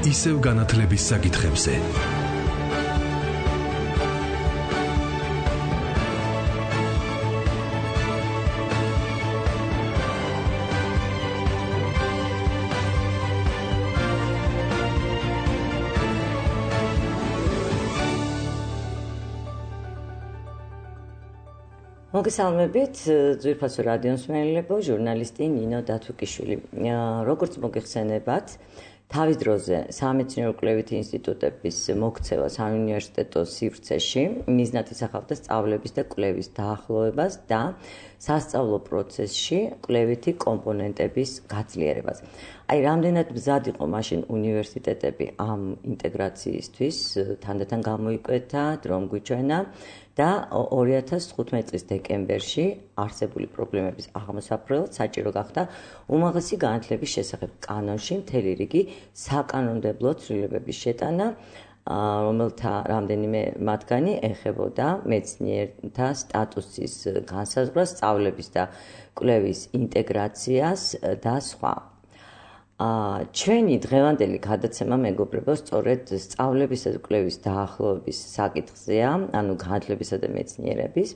ისევ განათლების საკითხებზე. მოგესალმებით, ძვირფასო რადიო მსმენელებო, ჟურნალისტი ნინო დათუკიშვილი. როგორც მოგეხსენებათ, თავის დროზე სამეცნიერო-კვლევითი ინსტიტუტების მოქცევა საუნივერსიტეტო სივრცეში მიზნად ისახავდა სწავლების და კვლევის დაახლოებას და სასწავლო პროცესში კვლევითი კომპონენტების გაძლიერებას. აი, რამდენად მზად იყო მაშინ უნივერსიტეტები ამ ინტეგრაციისთვის, თანდათან გამოიკვეთა, დრომ გვიჩვენა და 2015 წლის დეკემბერში არსებული პრობლემების აღმოსაფრთხებლად საჭირო გახდა უმაღლესი განათლების შესახებ კანონში მთელი რიგი საკანონმდებლო ცვლილებების შეტანა, რომელთა რამდენიმე მათგანი ეხებოდა მეცნიერთა სტატუსის განსაზღვრას, სწავლების და კვლევის ინტეგრაციას და სხვა. ჩვენი დღევანდელი გადაცემა მეგობრებო, სწორედ სწავლებისა და კვლევის დაახლოების საკითხზეა, ანუ განათლებისა და მეცნიერების.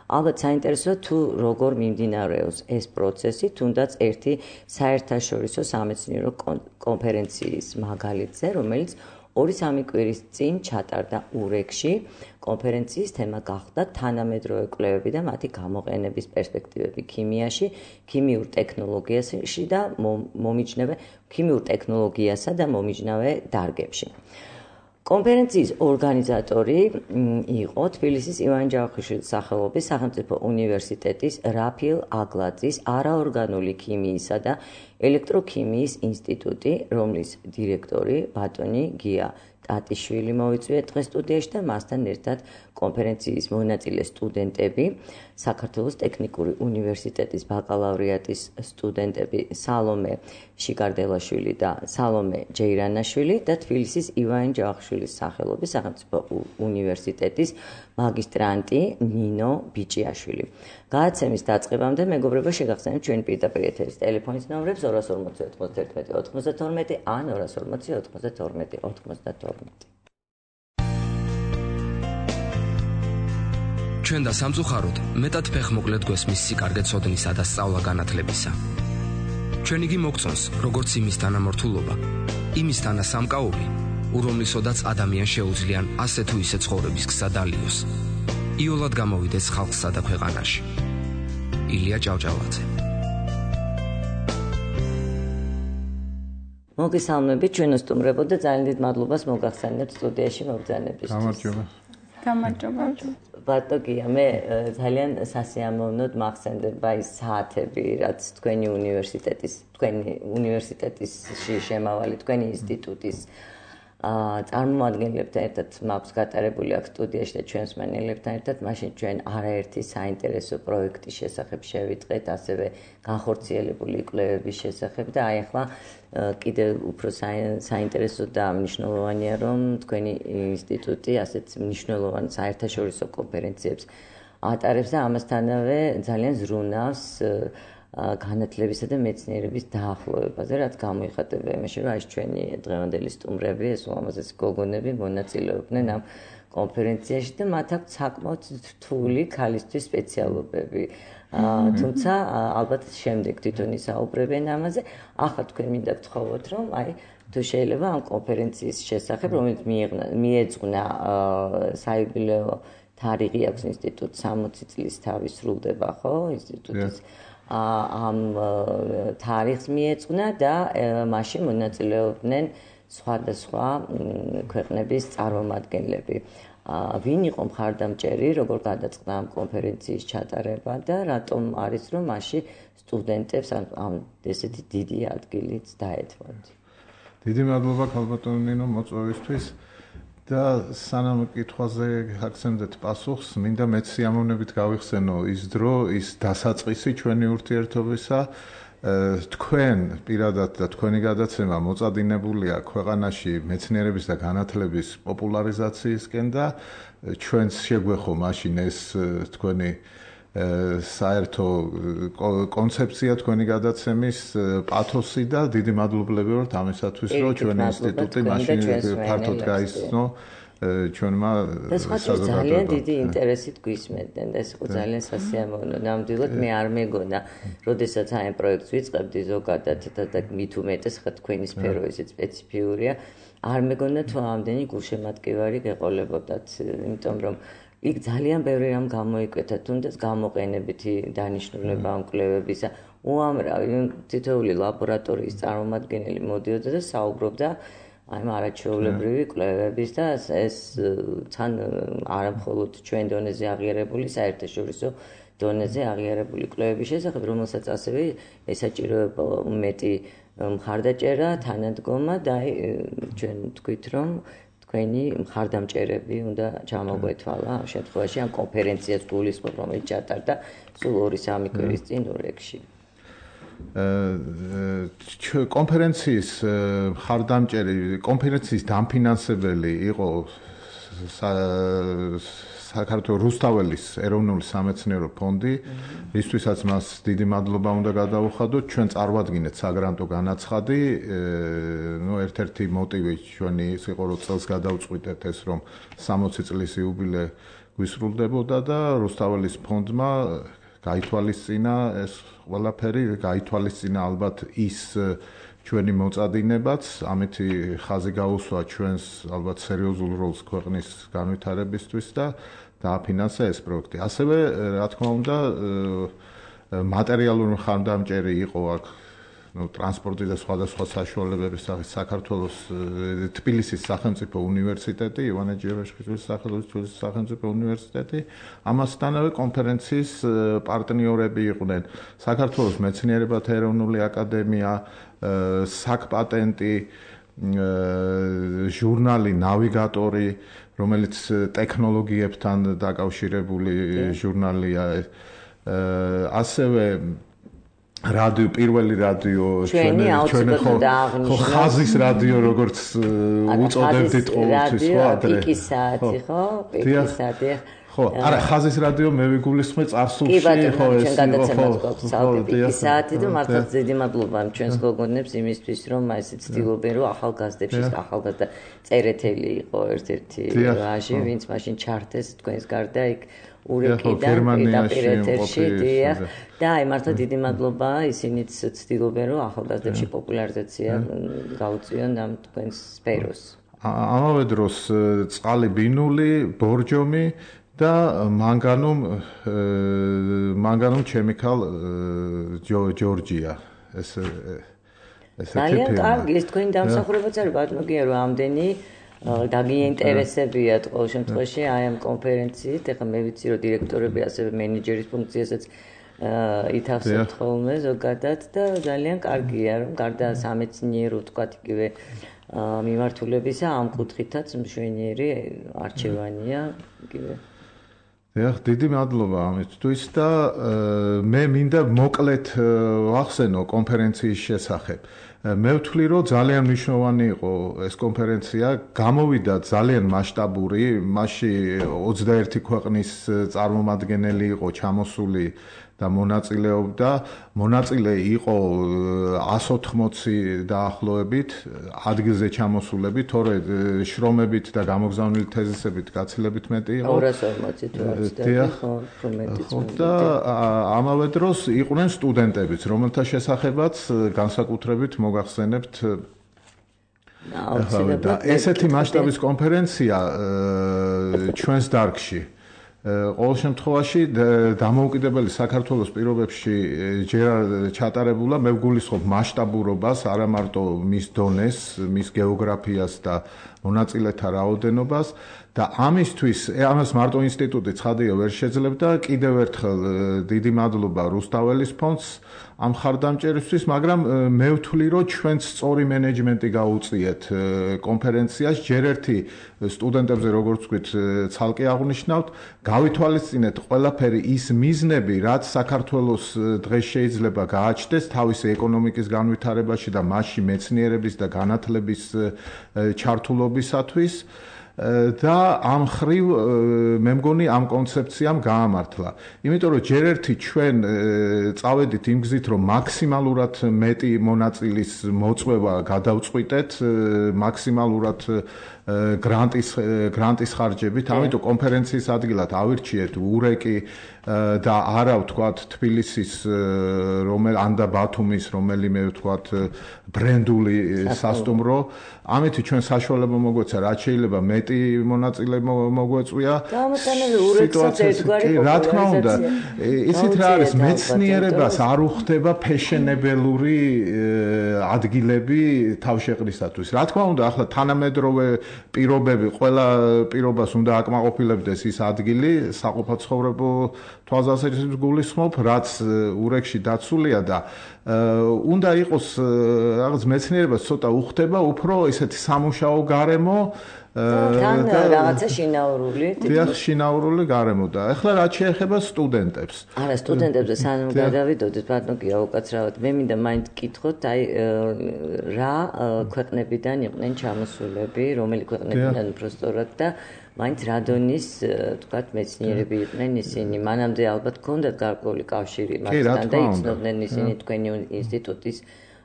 ალბათ საინტერესოა თუ როგორ მიმდინარეობს ეს პროცესი, თუნდაც ერთი საერთაშორისო სამეცნიერო კონფერენციის მაგალითზე, რომელიც 2-3 კვირის წინ ჩატარდა ურეკში. კონფერენციის თემა გახდა თანამედროვე კვლევები და მათი გამოყენების პერსპექტივები ქიმიაში, ქიმიურ ტექნოლოგიასა და მომიჯნავე დარგებში. კონფერენციის ორგანიზატორი იყო თბილისის ივანე ჯავახიშვილის სახელობის სახელმწიფო უნივერსიტეტის რაფიელ აგლაძის არაორგანული ქიმიისა და ელექტროქიმიის ინსტიტუტი, რომლის დირექტორი ბატონი გია ტატიშვილი მოვიწვია დღეს სტუდიაში და მასთან ერთად კონფერენციის მონაწილე სტუდენტები, საქართველოს ტექნიკური უნივერსიტეტის ბაკალავრიატის სტუდენტები სალომე შიკარდელაშვილი და სალომე ჯეირანაშვილი და თბილისის ივანე ჯავახიშვილის სახელობის სახელმწიფო უნივერსიტეტის მაგისტრანტი ნინო ბიჭიაშვილი. გადაცემის დაწყებამდე მეგობრებო, შეგახსენებთ ჩვენი პირდაპირ ეთერის ტელეფონის ნომრებს 240 91 92 ან 240 92 92. ჩვენ და სამწუხაროდ მეტად ფეხმოკლედ გვესმის სიკარგე ცოდნისა და სწავლა განათლებისა. ჩვენ იგი მოგწონს, როგორც იმის თანამორთულობა, იმის თანასამკაული, ურომლისოდაც ადამიანს შეუძლიან ასე თუ ისე ცხოვრების გზა დალიოს. იოლად გამოვიდეს ხალხსა და ქვეყანაში. ილია ჭავჭავაძე. მოგესალმებით, ჩვენო სტუმრებო და ძალიან დიდ მადლობას მოგახსენებთ სტუდიაში მოგზაურობისთვის. გამარჯობა. ბატონია, მე ძალიან სასიამოვნოდ მახსენდება ის საათები, რაც თქვენი უნივერსიტეტისში შემავალი, თქვენი ინსტიტუტის წარმომადგენლებთან ერთად მაქვს გატარებული აქ სტუდიაში და ჩვენს მსმენელებთან ერთად, მაშინ ჩვენ არაერთი საინტერესო პროექტის შესახებ შევიტყეთ, ასევე განხორციელებული კვლევების შესახებ და აი ახლა კიდევ უფრო საინტერესო და მნიშვნელოვანია, რომ თქვენი ინსტიტუტი ასეთ მნიშვნელოვან საერთაშორისო კონფერენციებს ატარებს და ამასთანავე ძალიან ზრუნავს განათლებისა და მეცნიერების დაახლოებაზე, რაც გამოიხატება იმაში, რომ აი ჩვენი დღევანდელი სტუმრები, ეს ულამაზესი გოგონები მონაწილეობდნენ ამ კონფერენციაში და მათ აქვს საკმაოდ რთული ქალისთვის სპეციალობები. თუმცა ალბათ შემდეგ თვითონ ისაუბრებენ ამაზე. ახლა თქვენ მინდა გთხოვოთ, რომ აი თუ შეიძლება ამ კონფერენციის შესახებ, რომელიც მიეძღვნა საიუბილეო თარიღი აქვს ინსტიტუტს 60 წლის თავი სრულდება, ხო, ინსტიტუტის ამ თარიღს მიეძღვნა და მასში მონაწილეობდნენ სხვადასხვა ქვეყნების წარმომადგენლები. ვინ იყო მხარდამჭერი, როგორ გადაწყდა ამ კონფერენციის ჩატარება და რატომ არის, რომ მასში სტუდენტებს ამ ესეთი დიდი ადგილით დაეთმოთ. დიდი მადლობა ქალბატონო ნინო მოწვევისთვის და სანამ კითხვაზე აქცენტეთ პასუხს, მინდა მეც სიამოვნებით გავიხსენო ის დრო, ის დასაწყისი ჩვენი ურთიერთობისა. თქვენ პირადად და თქვენი გადაცემა მოწადინებულია ქვეყანაში მეცნიერების და განათლების პოპულარიზაციისკენ და ჩვენს შეგვეხო მაშინ ეს თქვენი საერთო კონცეფცია თქვენი გადაცემის პათოსი და დიდი მადლობლები ვართ ამისათვის, რომ ჩვენი ინსტიტუტი მაშინ ფართოდ გაიცნო ჩვენმა საზოგადოებამ. ძალიან დიდი ინტერესით გვისმენდნენ და ეს იყო ძალიან სასიამოვნო. ნამდვილად მე არ მეგონა, როდესაც აი პროექტს ვიწყებდი ზოგადად და მით უმეტეს ხა თქვენი სფერო ისეთ სპეციფიურია, არ მეგონა თუ ამდენი გულშემატკივარი გეყოლებოდათ, იმიტომ რომ იქ ძალიან ბევრი რამ გამოიკვეთა, თუნდაც გამოყენებითი დანიშნულება ამ კვლევებისა. უამრავი თითოეული ლაბორატორიის წარმომადგენელი მოდიოდა და საუბრობდა აი არაჩვეულებრივი კვლევების და ეს თან არა მხოლოდ ჩვენ დონეზე აღიარებული, საერთაშორისო დონეზე აღიარებული კვლევების შესახებ, რომელსაც ასევე ესაჭიროება მეტი მხარდაჭერა, თანადგომა და ჩვენ თქვით, რომ თქვენი მხარდამჭერები უნდა ჩამოგვეთვალა ამ შემთხვევაში ამ კონფერენციას გულისხმობ, რომელიც ჩატარდა სულ 2-3 კვირის წინ ურეკში. კონფერენციის მხარდამჭერი, კონფერენციის დამფინანსებელი იყო საქართველოს რუსთაველის ეროვნული სამეცნიერო ფონდი, რისთვისაც მას დიდი მადლობა უნდა გადავუხადოთ. ჩვენ წარვადგინეთ საგრანტო განაცხადი, ერთ-ერთი მოტივი ჩვენი ის იყო, რომ წელს გადავწყვიტეთ ეს, რომ 60 წლის იუბილე გვისრულდებოდა და რუსთაველის ფონდმა გაითვალისწინა ეს ყველაფერი, გაითვალისწინა ალბათ ის ჩვენი მოწადინებაც, ამითი ხაზი გაუსვა ჩვენს ალბათ სერიოზულ როლს ქვეყნის განვითარებისთვის და დააფინანსა ეს პროექტი. ასევე, რა თქმა უნდა, მატერიალური მხარდამჭერი იყო აქ ტრანსპორტი და სხვადასხვა საშუალებების საქართველოს თბილისის სახელმწიფო უნივერსიტეტი, ივანე ჯერაშხიძის სახელობის სახელმწიფო უნივერსიტეტი, ამასთანავე კონფერენციის პარტნიორები იყვნენ საქართველოს მეცნიერებათა ეროვნული აკადემია, საკპატენტი, ჟურნალი ნავიგატორი, რომელიც ტექნოლოგიებთან დაკავშირებული ჟურნალია, ასევე რადიო, პირველი რადიო, ჩვენი ხაზის რადიო, როგორც უწოდებდით ყოველთვის, ხო, ადრე. პიკისაათი, ხო? პიკისაათი. ხო, არა, ხაზის რადიო მე ვიგულისხმე წარსულში, ხო, ეს პიკისაათი და მართლა დიდი მადლობა ჩვენს გოგონებს იმისთვის, რომ ესე ცდილობენ, რომ ახალგაზრდებში ახალგაზრდა წერეთელი იყო ერთ-ერთი ვაჟი, ვინც მაშინ ჩართეს თქვენს გარდა იქ ურეკიდან პირდაპირ ეთერში და აი მართლა დიდი მადლობა, ისინიც ცდილობენ, რომ ახალგაზრდებში პოპულარიზაცია გაუწიონ ამ თქვენს სფეროს. ამავე დროს წყალი ბინული, ბორჯომი და მანგანუმ chemical Georgia ეს ძალიან კარგი ეს თქვენი დამსახურებაც არის ბატონო რომ ამდენი დაგიინტერესებიათ ყოველ შემთხვევაში აი ამ კონფერენციით ეხლა მე ვიცი რომ დირექტორები ასევე მენეჯერის ფუნქციასაც ითავსებთ ხოლმე ზოგადად და ძალიან კარგია რომ გარდა სამეცნიერო თქვათ იგივე მიმართულებისა ამ კუთხითაც მშვენიერი არჩევანია იგივე დიდი მადლობა ამისთვის და მე მინდა მოკლედ ვახსენო კონფერენციის შესახებ. მე ვთვლი, რომ ძალიან მნიშვნელოვანი იყო ეს კონფერენცია, გამოვიდა ძალიან მასშტაბური, მასში 21 ქვეყნის წარმომადგენელი იყო ჩამოსული და მონაწილეობდა. მონაწილე იყო 180 დაახლოებით ადგილზე ჩამოსულები, თორე შრომებით და გამოგზავნილი თეზისებით გაცილებით მეტი იყო. 240 თუ არ ვცდები, ხო, და ამავე დროს იყვნენ სტუდენტებიც, რომელთა შესახებაც განსაკუთრებით მოგახსენებთ. და ესეთი მასშტაბის კონფერენცია ჩვენს დარგში ყოველ შემთხვევაში დამოუკიდებელი საქართველოს პირობებში ჯერ ჩატარებულა, მე ვგულისხმობ მასშტაბურობას, არა მარტო მის დონეს, მის გეოგრაფიას და მონაწილეთა რაოდენობას და ამისთვის ამას მარტო ინსტიტუტი ცხადია ვერ შეძლებდა, კიდევ ერთხელ დიდი მადლობა რუსთაველის ფონდს ამ ხარდამჭერისთვის, მაგრამ მე ვთვლი, რომ ჩვენც სწორი მენეჯმენტი გაუწიეთ კონფერენციას, ჯერ ერთი სტუდენტებზე როგორც ვთქვით, ცალკე აღნიშნავთ, გავითვალისწინეთ ყველაფერი ის მიზნები, რაც საქართველოს დღეს შეიძლება გააჩნდეს თავისი ეკონომიკის განვითარებაში და მასში მეცნიერების და განათლების ჩართულობისათვის. და ამ ხრივ მე მგონი ამ კონცეფციამ გაამართლა. იმიტომ რომ ჯერ ერთი ჩვენ წავედით იმ გზით, რომ მაქსიმალურად მეტი მონაწილის მოწვევა გადავწყვიტეთ, მაქსიმალურად გრანტის ხარჯებით, ამიტომ კონფერენციის ადგილად ავირჩიეთ ურეკი და არა ვთქვათ თბილისის ან და ბათუმის რომელიმე ვთქვათ ბრენდული სასტუმრო, ამით ჩვენ საშუალება მოგვეცა, რაც შეიძლება მეტი მონაწილე მოგვეწვია. რა თქმა უნდა, ისეთ რა არის, მეცნიერებას არ უხდება ფეშენებელური ადგილები თავშეყრისათვის. რა თქმა უნდა, ახლა თანამედროვე პირობები, ყველა პირობას უნდა აკმაყოფილებდეს ის ადგილი, საყოფაცხოვრებო თვალსაზრისით გულისხმობ, რაც ურეკში დაცულია და უნდა იყოს რაღაც მეცნიერებას ცოტა უხდება უფრო ესეთი სამუშაო გარემო თან რაღაცა შინაურული. დიახ, შინაურული გარემო და ახლა რაც შეეხება სტუდენტებს. არა, სტუდენტებზე სანამ გადავიდოდეთ, ბატონო გია უკაცრავად, მე მინდა მაინც გკითხოთ, აი რა ქვეყნებიდან იყვნენ ჩამოსულები, რომელი ქვეყნებიდან უბრალოდ და მაინც რა დონის, თქვათ, მეცნიერები იყვნენ ისინი. მანამდე ალბათ ჰქონდათ გარკვეული კავშირი მასთან და იცნობდნენ ისინი თქვენი ინსტიტუტის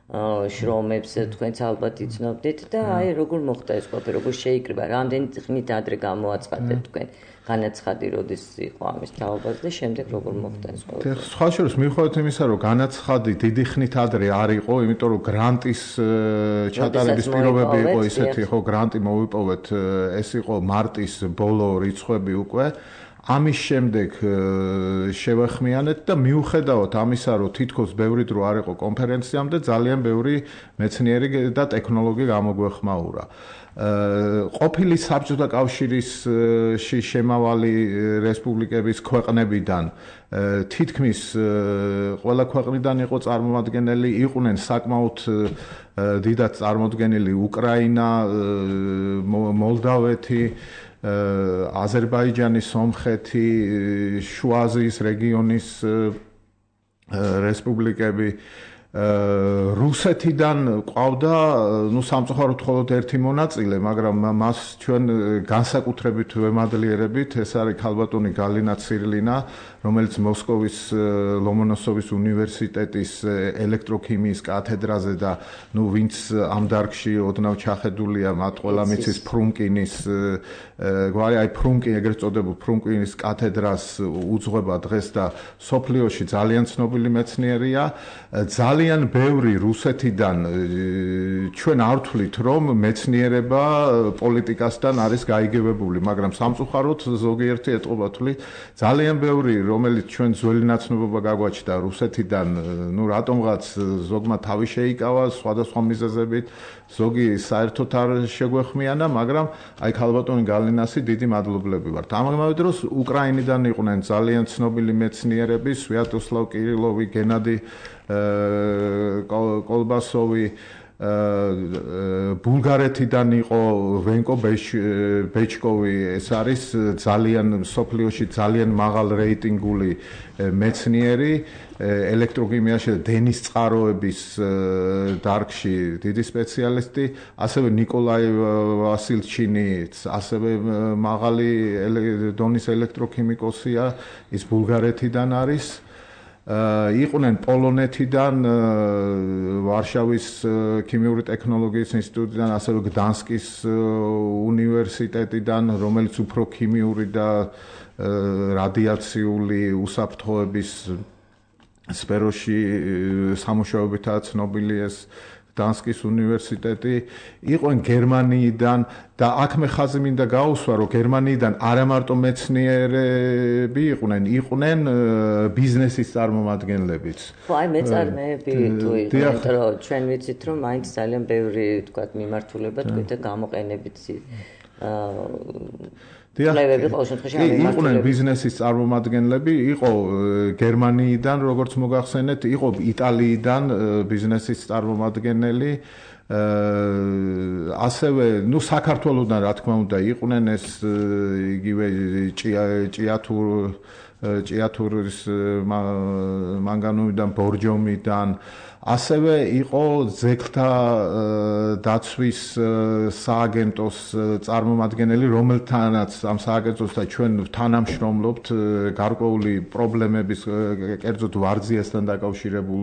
შრომებს, თქვენც ალბათ იცნობდით და აი როგორ მოხდა ეს ყველაფერი, როგორ შეიკრიბა, რამდენი ხნით ადრე გამოაცხადეთ თქვენ განაცხადი როდის იყო ამის თაობაზე და შემდეგ როგორ მოხდა ეს ყველაფერი. სხვა შორის მიუხედავად იმისა, რომ განაცხადი დიდი ხნით ადრე არ იყო, იმიტომ რომ გრანტის ჩატარების პირობები იყო ისეთი, ხო, გრანტი მოვიპოვეთ, ეს იყო მარტის ბოლო რიცხვები უკვე. ამის შემდეგ შევახმიანეთ და მიუხედავად ამისა, რომ თითქოს ბევრი დრო არ იყო კონფერენციამდე, ძალიან ბევრი მეცნიერი და ტექნოლოგი გამოგვეხმაურა. ყოფილი საბჭოთა კავშირის შემავალი რესპუბლიკების ქვეყნებიდან თითქმის ყველა ქვეყნიდან იყო წარმომადგენელი, იყვნენ საკმაოდ დიდად წარმოდგენილი უკრაინა, მოლდავეთი, აზერბაიჯანი, სომხეთი, შუა აზიის რეგიონის რესპუბლიკები, რუსეთიდან ყავდა, სამწუხაროდ მხოლოდ ერთი მონაწილე, მაგრამ მას ჩვენ განსაკუთრებით ვემადლიერებით, ეს არის ქალბატონი გალინა ცირულინა, რომელიც მოსკოვის ლომონოსოვის უნივერსიტეტის ელექტროქიმიის კათედრაზე და ვინც ამ დარგში ოდნავ ჩახედულია, მათ ყველა მიცის ფრუნკინის გვარი, აი ფრუნკინი ეგრეთ წოდებულ ფრუნკინის კათედრას უძღვება დღეს და სოფლიოში ძალიან ცნობილი მეცნიერია. ძალიან ბევრი რუსეთიდან ჩვენ არ ვთვლით, რომ მეცნიერება პოლიტიკასთან არის გაიგებებული, მაგრამ სამწუხაროდ ზოგიერთი ეტყობა თვლით, ძალიან ბევრი რომელიც ჩვენ ძველი ნაცნობობა გაგვაჩნდა რუსეთიდან, რატომღაც ზოგმა თავი შეიკავა სხვადასხვა მიზეზებით, ზოგი საერთოდ არ შეგვეხმიანა, მაგრამ აი ქალბატონი გალინასი დიდი მადლობლები ვართ. ამავე დროს უკრაინიდან იყვნენ ძალიან ცნობილი მეცნიერები, სვიატოსლავ კირილოვი, გენადი კოლბასოვი, ბულგარეთიდან იყო ვენკო ბეჩკოვი, ეს არის ძალიან სოფლიოში ძალიან მაღალ რეიტინგული მეცნიერი, ელექტროქიმიაში და დენის წყაროების დარგში დიდი სპეციალისტი, ასევე ნიკოლაი ვასილჩინი, ასევე მაღალი დონის ელექტროქიმიკოსია, ის ბულგარეთიდან არის. იყვნენ პოლონეთიდან, ვარშავის ქიმიური ტექნოლოგიის ინსტიტუტიდან, ასევე გდანსკის უნივერსიტეტიდან, რომელიც უფრო ქიმიური და რადიაციული უსაფრთხოების სფეროში სამუშაოებითაა ცნობილი ეს გდანსკის უნივერსიტეტი, იყვნენ გერმანიიდან და აქ მე ხაზი მინდა გაუსვა, რომ გერმანიიდან არა მარტო მეცნიერები იყვნენ ბიზნესის წარმომადგენლებიც. ხო, აი მეწარმეები თუ იყვნენ, რომ ჩვენ ვიცით, რომ მაინც ძალიან ბევრი თქვათ მიმართულება თქვით და გამოყენებით იყვნენ ბიზნესის წარმომადგენლები, იყო გერმანიიდან, როგორც მოგახსენეთ, იყო იტალიიდან ბიზნესის წარმომადგენელი, ასევე, საქართველოდან რა თქმა უნდა, იყვნენ ეს იგივე ჭიათურ ჭიათურის მანგანუმიდან, ბორჯომიდან, ასევე იყო ძეგლთა დაცვის სააგენტოს წარმომადგენელი, რომელთანაც ამ სააგენტოსთან ჩვენ თანამშრომლობთ გარკვეული პრობლემების, კერძოდ ვარძიასთან დაკავშირებულ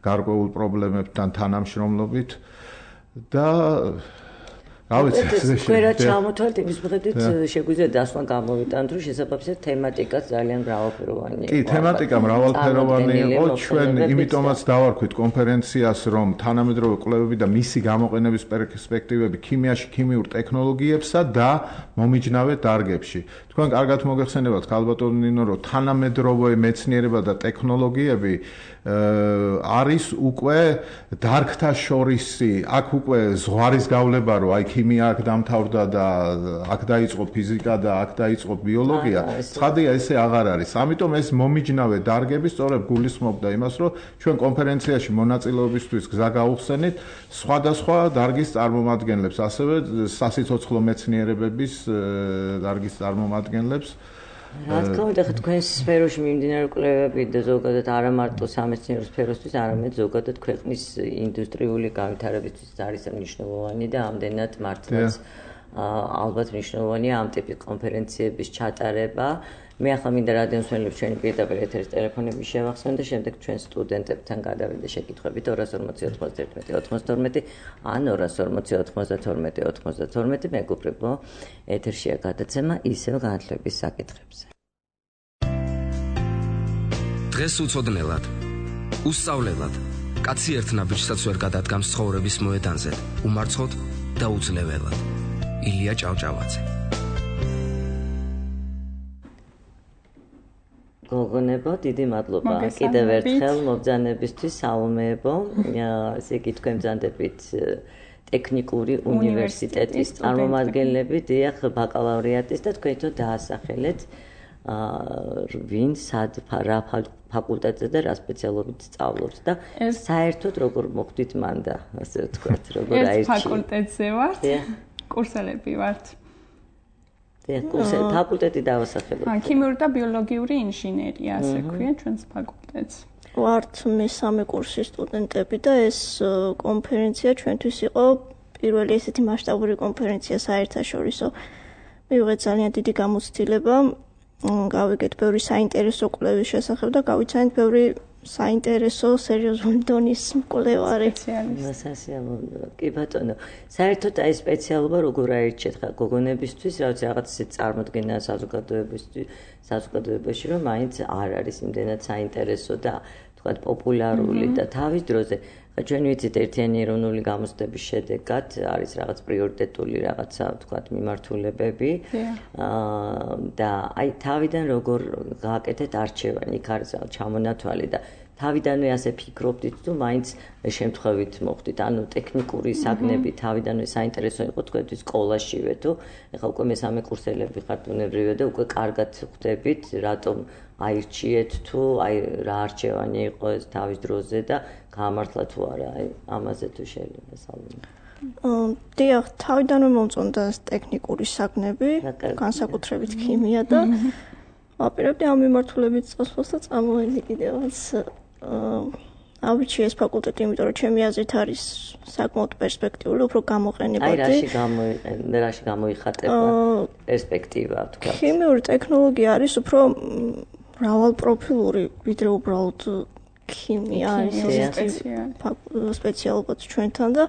გარკვეულ პრობლემებთან თანამშრომლობით და თქვენ რა ჩამოთვალთ იმის მიხედვით შეგვიძლია დასვლა გამოვიტანოთ, რომ შესაბამისად თემატიკაც ძალიან მრავალფეროვანი იყო. კი, თემატიკა მრავალფეროვანი იყო, ჩვენ იმიტომაც დავარქვით კონფერენციას, რომ თანამედროვე კვლევები და მისი გამოყენების პერსპექტივები ქიმიაში, ქიმიურ ტექნოლოგიებსა და მომიჯნავე დარგებში. თქვენ კარგად მოგეხსენებათ, ქალბატონო ნინო, რომ თანამედროვე მეცნიერება და ტექნოლოგიები არის უკვე დარგთა შორისი, აქ უკვე ზღვარის გავლება, რომ აი ქიმია აქ დამთავრდა და აქ დაიწყო ფიზიკა და აქ დაიწყო ბიოლოგია, ცხადია ესე აღარ არის. ამიტომ ეს მომიჯნავე დარგები სწორედ გულისხმობდა იმას, რომ ჩვენ კონფერენციაში მონაწილეობისთვის გზა გავუხსენით სხვადასხვა დარგის წარმომადგენლებს, ასევე სასიცოცხლო მეცნიერებების დარგის წარმომადგენლებს. რა თქმა უნდა, თქვენს სფეროში მიმდინარე კვლევები და ზოგადად არა მარტო სამეცნიერო სფეროსთვის, არამედ ზოგადად ქვეყნის ინდუსტრიული განვითარებისთვის არის მნიშვნელოვანი და ამდენად მართლაც ალბათ მნიშვნელოვანია ამ ტიპის კონფერენციების ჩატარება. მე ახლა მინდა რადიომსმენელებს ჩვენი პირდაპირ ეთერის ტელეფონები შევახსენო და შემდეგ ჩვენ სტუდენტებთან გადავიდე შეკითხვებით 240 91 92 ან 240 92 92 მეგობრებო, ეთერშია გადაცემა ისევ განათლების საკითხებზე. დღეს უცოდნელად, უსწავლელად, კაცი ერთ ნაბიჯსაც ვერ გადადგამს ცხოვრების მოედანზე, უმარცხოდ და უძლეველად. ილია ჭავჭავაძე. გოგონებო, დიდი მადლობა კიდევ ერთხელ მობრძანებისთვის, საუმეებო. ესე იგი თქვენ ბრძანდებით ტექნიკური უნივერსიტეტის წარმომადგენლები, დიახ, ბაკალავრიატის და თქვენ თვითონ დაასახელეთ ვინ სად რა ფაკულტეტზე და რა სპეციალობით სწავლობს და საერთოდ როგორ მოხვდით მან და ასე ვთქვათ, როგორ აირჩიეთ. ეს ფაკულტეტზე ვართ, კურსელები ვართ. ფაკულტეტი დავასახელოთ. ქიმიური და ბიოლოგიური ინჟინერია, ასე ქვია ჩვენს ფაკულტეტს. ვართ მესამე კურსის სტუდენტები და ეს კონფერენცია ჩვენთვის იყო პირველი ესეთი მასშტაბური კონფერენცია საერთაშორისო. მივიღეთ ძალიან დიდი გამოცდილება, გავიგეთ ბევრი საინტერესო კვლევის შესახებ და გავიცანეთ ბევრი საინტერესო სერიოზული დონის მკვლევარი. კი ბატონო, საერთოდ აი სპეციალობა როგორ აირჩიეთ ხა გოგონებისთვის, რაღაც ისეთ წარმოდგენა საზოგადოებაში, რომ მაინც არ არის იმდენად საინტერესო და თქვათ პოპულარული და თავის დროზე ჩვენ ვიცით ერთიანი ეროვნული გამოცდების შედეგად არის რაღაც პრიორიტეტული რაღაცა თქვათ მიმართულებები და აი თავიდან როგორ გააკეთეთ არჩევანი, იქ არის ჩამონათვალი და თავიდანვე ასე ფიქრობდით თუ მაინც შემთხვევით მოხდით, ანუ ტექნიკური საგნები თავიდანვე საინტერესო იყო თქვენთვის სკოლაშივე თუ ეხლა უკვე მესამე კურსელები ხართ უნებრივია და უკვე კარგად ხვდებით რატომ აირჩიეთ თუ აი რა არჩევანი იყო ეს თავის დროზე და გამართლა თუ არა, აი ამაზე თუ შეიძლება საუბარი. დიახ, თავიდანვე მომწონდა ტექნიკური საგნები, განსაკუთრებით ქიმია და ვაპირებდი ამ მიმართულებით წასვლას და წამოვედი კიდევაც ავირჩიე ეს ფაკულტეტი, იმიტომ რომ ჩემი აზრით არის საკმაოდ პერსპექტიული, უფრო გამოყენებადი. აი რაში გამოიხატება პერსპექტივა, თქვა. ქიმიური ტექნოლოგია არის უფრო მრავალპროფილური, ვიდრე უბრალოდ ქიმია არის სპეციალობაც ჩვენთან და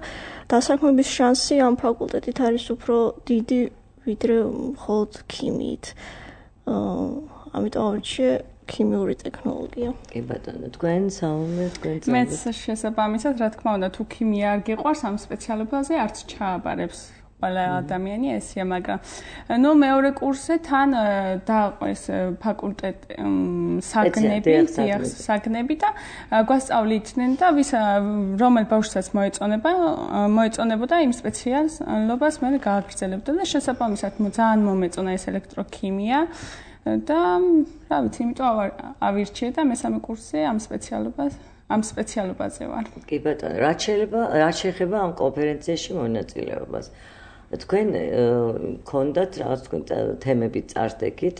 დასაქმების შანსი ამ ფაკულტეტით არის უფრო დიდი, ვიდრე მხოლოდ ქიმიით. ამიტომ ავირჩიე ქიმიური ტექნოლოგია. კი ბატონო, თქვენ საუბარი თქვენ მეც შესაბამისად, რა თქმა უნდა, თუ ქიმია არ გიყვარს ამ სპეციალობაზე არც ჩააბარებს ყველა ადამიანი ესია, მაგრამ ნუ მეორე კურსზე თან დააყო ეს ფაკულტეტი საგნები და გვასწავლიდნენ და ვის რომელ ბავშვსაც მოეწონებოდა იმ სპეციალობას მე გააგრძელებდა და შესაბამისად ძალიან მომეწონა ეს ელექტროქიმია და რა ვიცი, იმიტომ ავირჩიე და მესამე კურსზე ამ სპეციალობაზე ვარ. კი ბატონო, რა შეიძლება ამ კონფერენციაში მონაწილეობას? თქვენ გქონდათ რაღაც თქვენ თემები წარსდებით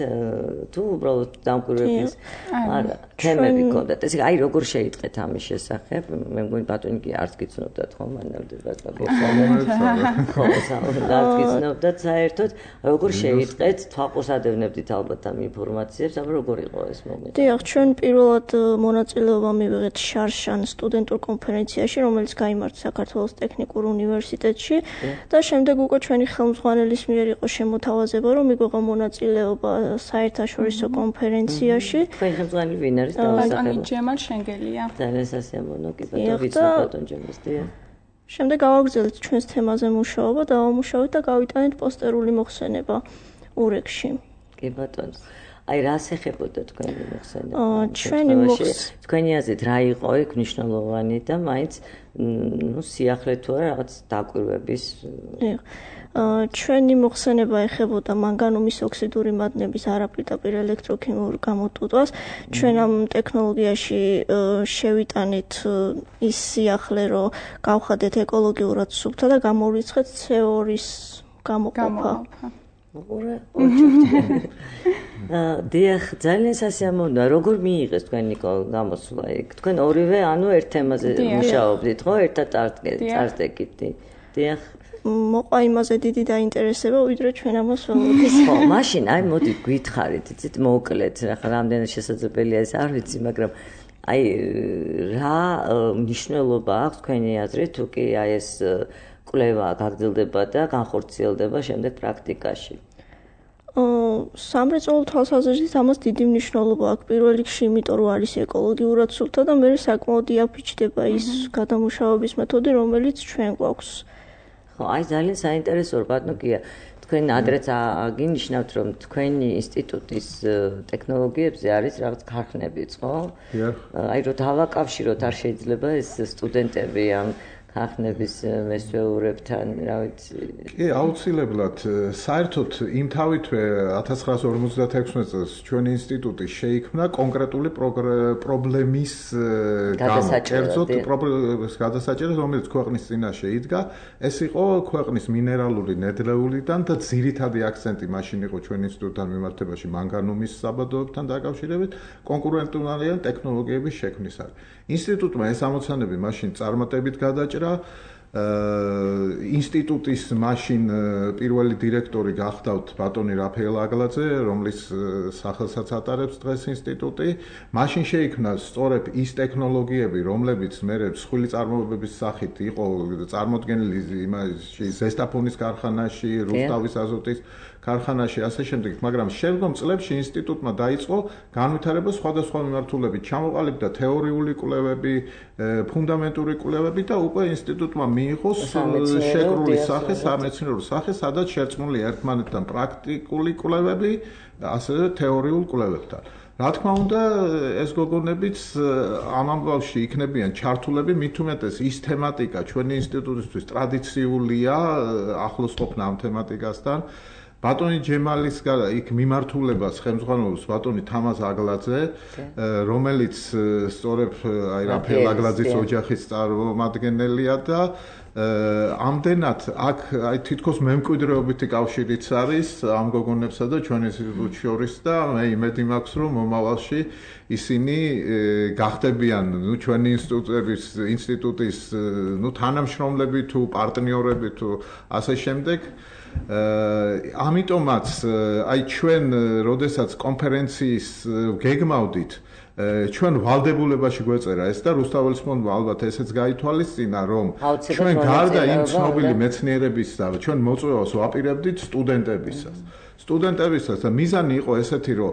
თუ უბრალოდ დამკვირვებლის არა თემები გქონდათ ესე აი როგორ შეიწყეთ ამის შესახებ მე მგონი ბატონი კი არც გიცნობდათ ხო მანამდე ხო არც გიცნობდათ საერთოდ როგორ შეიწყეთ თვალყურსადევნებდით ალბათ ამ ინფორმაციებს აბა როგორ იყო ეს მომენტი დიახ ჩვენ პირველად მონაწილეობა მივიღეთ შარშან სტუდენტურ კონფერენციაში რომელიც გაიმართა საქართველოს ტექნიკურ უნივერსიტეტში და შემდეგ უკვე ჩვენი ხელმძღვანელის მიერ იყო შემოთავაზება რომ მიგვეღო მონაწილეობა საერთაშორისო კონფერენციაში თქვენ ხელმძღვანელი ვინ არის ბატონი ჯემალ შენგელია ძალიან სასიამოვნო კი ბატონ ჯემალს შემდეგ გავაგრძელებთ ჩვენს თემაზე მუშაობა და ამუშავეთ და გავიტანეთ პოსტერული მოხსენება ურეკში კი ბატონო აი რა ეხებოდა თქვენი მოხსენება ჩვენი თქვენი აზრით რა იყო იქ მნიშვნელოვანი და მაინც ну სიახლე თუ არა რაღაც დაკვირვების ჩვენი მოხსენება ეხებოდა მანგანუმის ოქსიდური მადნების არაპირდაპირ ელექტროქიმიურ გამოტვირთვას ჩვენ ამ ტექნოლოგიაში შევიტანეთ ის სიახლე რომ გავხადეთ ეკოლოგიურად სუფთა და გამოვრიცხეთ CO2-ის გამოყოფა დიახ, ძალიან სასიამოვნოა. როგორ მიიღეს თქვენი გამოსვლა იქ? თქვენ ორივე ანუ ერთ თემაზე მუშაობდით, ხო? ერთად წარსდებით. დიახ. მოყვა იმაზე დიდი დაინტერესება, ვიდრე ჩვენ ამას ველოდით. ხო, მაშინ აი მოდი გითხარით, იცით, მოკლედ, ახლა რამდენად შესაძლებელია ეს არ ვიცი, მაგრამ აი რა მნიშვნელობა აქვს თქვენი აზრით, თუ კი აი ეს კვლევა გაგრძელდება და განხორციელდება შემდეგ პრაქტიკაში? სამრეწველო თვალსაზრისით ამას დიდი მნიშვნელობა აქვს პირველ რიგში, იმიტომ რომ არის ეკოლოგიურად სუფთა და მე საკმაოდ იაფიჩდება ის გადამუშავების მეთოდი, რომელიც ჩვენ გვაქვს. ხო, აი ძალიან საინტერესოა, ბატონო კია. თქვენ ადრეც აღინიშნავთ, რომ თქვენი ინსტიტუტის ტექნოლოგიებზე არის რაღაც ქარხნებიც, ხო? აი რომ დავაკავშიროთ, არ შეიძლება ეს სტუდენტები ამ ქარხნების მესვეურებთან, რა ვიცი. კი, აუცილებლად. საერთოდ იმ თავითვე 1956 წელს ჩვენი ინსტიტუტი შეიქმნა კონკრეტული პრობლემის გადასაჭერად, რომელიც ქვეყნის წინაშე იდგა. ეს იყო ქვეყნის მინერალური ნედლეულიდან და ძირითადი აქცენტი მაშინ იყო ჩვენ ინსტიტუტთან მიმართებაში მანგანუმის საბადოებთან დაკავშირებით კონკურენტულადიან ტექნოლოგიების შექმნისას. ინსტიტუტმა ეს ამოცანები მაშინ წარმატებით გადაჭრა. ინსტიტუტის მაშინ პირველი დირექტორი გახდათ ბატონი რაფაელ აგლაძე, რომლის სახელსაც ატარებს დღეს ინსტიტუტი. მაშინ შეიქმნა სწორედ ის ტექნოლოგიები, რომლებიც მერე მსხვილი წარმოებების სახით იყო წარმოდგენილი იმაში ზესტაფონის ქარხანაში, რუსთავის აზოტის ქარხანაში, ასე შემდეგ, მაგრამ შემდგომ წლებში ინსტიტუტმა დაიწყო განვითარება სხვადასხვა მიმართულებით, ჩამოყალიბდა თეორიული კვლევები, ფუნდამენტური კვლევები და უკვე ინსტიტუტმა მიიღო შეკრული სახე, სამეცნიერო სახე, სადაც შერწყმული ერთმანეთთან პრაქტიკული კვლევები, ასევე თეორიულ კვლევებთან. რა თქმა უნდა, ეს გოგონებიც ამ ამბავში იქნებიან ჩართულები, მით უმეტეს ის თემატიკა ჩვენი ინსტიტუტისთვის ტრადიციულია, ახლოს ყოფნა ამ თემატიკასთან. ბატონი ჯემალის იქ მიმართულებას ხელმძღვანელობს ბატონი თამაზ აგლაძე, რომელიც სწორედ აი რაფაელ აგლაძის ოჯახის წარმომადგენელია და ამდენად აქ აი თითქოს მემკვიდრეობითი კავშირიც არის ამ გოგონებსა და ჩვენ ინსტიტუტს შორის და მე იმედი მაქვს რომ მომავალში ისინი გახდებიან ჩვენი ინსტიტუტის თანამშრომლები თუ პარტნიორები თუ ასე შემდეგ. ამიტომაც აი ჩვენ როდესაც კონფერენციის გეგმავდით ჩვენ ვალდებულებაში გვეწერა ეს და რუსთაველის ფონდმა ალბათ ესეც გაითვალისწინა რომ ჩვენ გარდა იმ ცნობილი მეცნიერებისა ჩვენ მოწვევას ვაპირებდით სტუდენტებისას და მიზანი იყო ესეთი რომ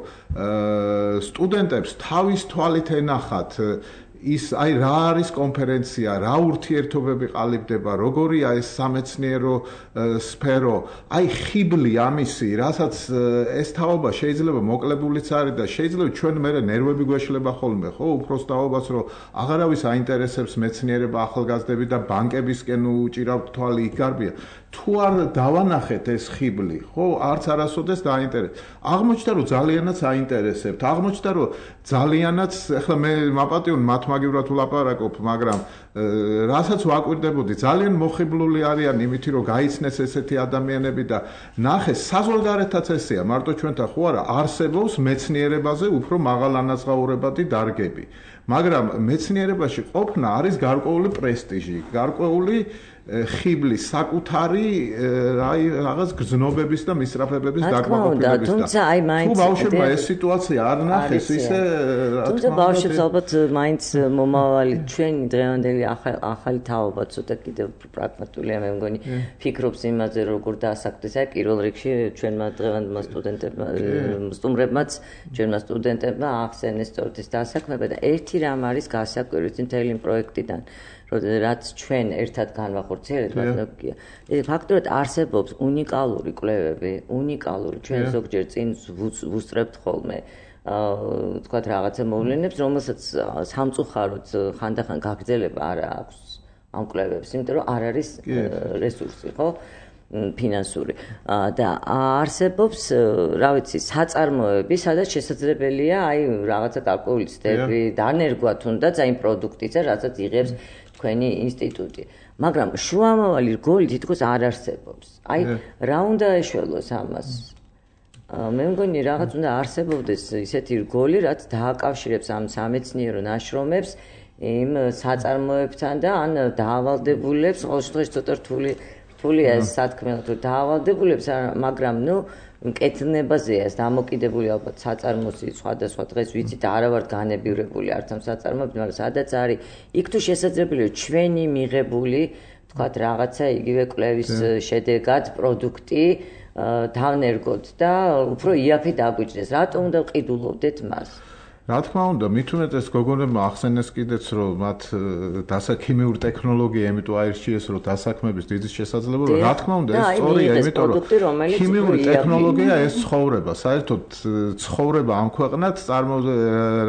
სტუდენტებს თავის თვალით ენახათ ის აი რა არის კონფერენცია, რა ურთიერთობები ყალიბდება, როგორია ეს სამეცნიერო სფერო, აი ხიბლი ამისი, რასაც ეს თაობა შეიძლება მოკლებულიც არის და შეიძლება ჩვენ მერე ნერვები გვეშლება ხოლმე, ხო, უფროს თაობას რომ აღარავის აინტერესებს მეცნიერება, ახალგაზრდები და ბანკებისკენ უჭირავთ თვალი იქ გარბია. თუ არ დავანახეთ ეს ხიბლი, ხო, არც არასოდეს დაინტერესებს. აღმოჩნდა რომ ძალიანაც აინტერესებთ. აღმოჩნდა რომ ძალიანაც, ახლა მე მაპატიონ მათ მართმაგივრად ვლაპარაკობ, მაგრამ რასაც ვაკვირდებოდი, ძალიან მოხიბლული არიან იმით, რომ გაიცნეს ესეთი ადამიანები და ნახეს საზღვარგარეთაც ესეა, მარტო ჩვენთან ხო არა, არსებობს მეცნიერებაზე უფრო მაღალანაზღაურებადი დარგები. მაგრამ მეცნიერებაში ყოფნა არის გარკვეული პრესტიჟი, გარკვეული ხიბლის საკუთარი რაღაც გზნობების და მისწრაფებების დაკმაყოფილების და თუ ბავშვებმა ეს სიტუაცია არ ნახეს ისე თუმცა ბავშვებს ალბათ მაინც მომავალი ჩვენი დღევანდელი ახალი თაობა ცოტა კიდევ პრაგმატულია მე მგონი ფიქრობს იმაზე როგორ დაასაკდეს აი პირველ რიგში ჩვენმა დღევანდელმა სტუდენტებმა სტუმრებმაც ჩვენმა სტუდენტებმა ახსენეს სწორედ ეს დასაქმება და ერთი რამ არის გასაკვირველი მთელი პროექტიდან რაც ჩვენ ერთად განვახორციელებთ, ფაქტობრივად არსებობს უნიკალური კვლევები, უნიკალური ჩვენ ზოგჯერ წინ ვუსწრებთ ხოლმე, თქვათ რაღაცა მოვლენებს, რომელსაც სამწუხაროდ ხანდახან გაგრძელება არ აქვს ამ კვლევებს, იმიტომ რომ არ არის რესურსი, ხო? ფინანსური და არსებობს, რა ვიცი, საწარმოები, სადაც შესაძლებელია აი რაღაცა კალკულების ცდები დანერგვა თუნდაც აი პროდუქტისა, რასაც იღებს თქვენი ინსტიტუტი. მაგრამ შუამავალი რგოლი თითქოს არ არსებობს. აი რა უნდა ეშველოს ამას? მე მგონი რაღაც უნდა არსებობდეს ისეთი რგოლი, რაც დააკავშირებს ამ სამეცნიერო ნაშრომებს იმ საწარმოებთან და ან დაავალდებულებს, ყოველ შემთხვევაში ცოტა რთულია ეს სათქმელად, რომ დაავალდებულებს, მაგრამ ნუ მკეთნებაზეა ეს დამოკიდებული ალბათ საწარმოსი სხვადასხვა დღეს ვიცით არა ვართ განებივრებული არც ამ საწარმოებთან, მაგრამ სადაც არის იქ თუ შესაძლებელია ჩვენი მიღებული თქვათ რაღაცა იგივე კვლევის შედეგად პროდუქტი დავნერგოთ და უფრო იაფი დაგვიჭრეს. რატომ უნდა ვყიდულობდეთ მას? რა თქმა უნდა, მით უმეტეს გოგონებმა ახსენეს კიდეც, რომ მათ ქიმიური ტექნოლოგია, იმიტომ აირჩიეს, რომ დასაქმების დიდი შესაძლებლობა, რა თქმა უნდა, ეს სწორია, იმიტომ რომ ქიმიური ტექნოლოგია ეს ცხოვრება, საერთოდ ცხოვრება ამ ქვეყნად,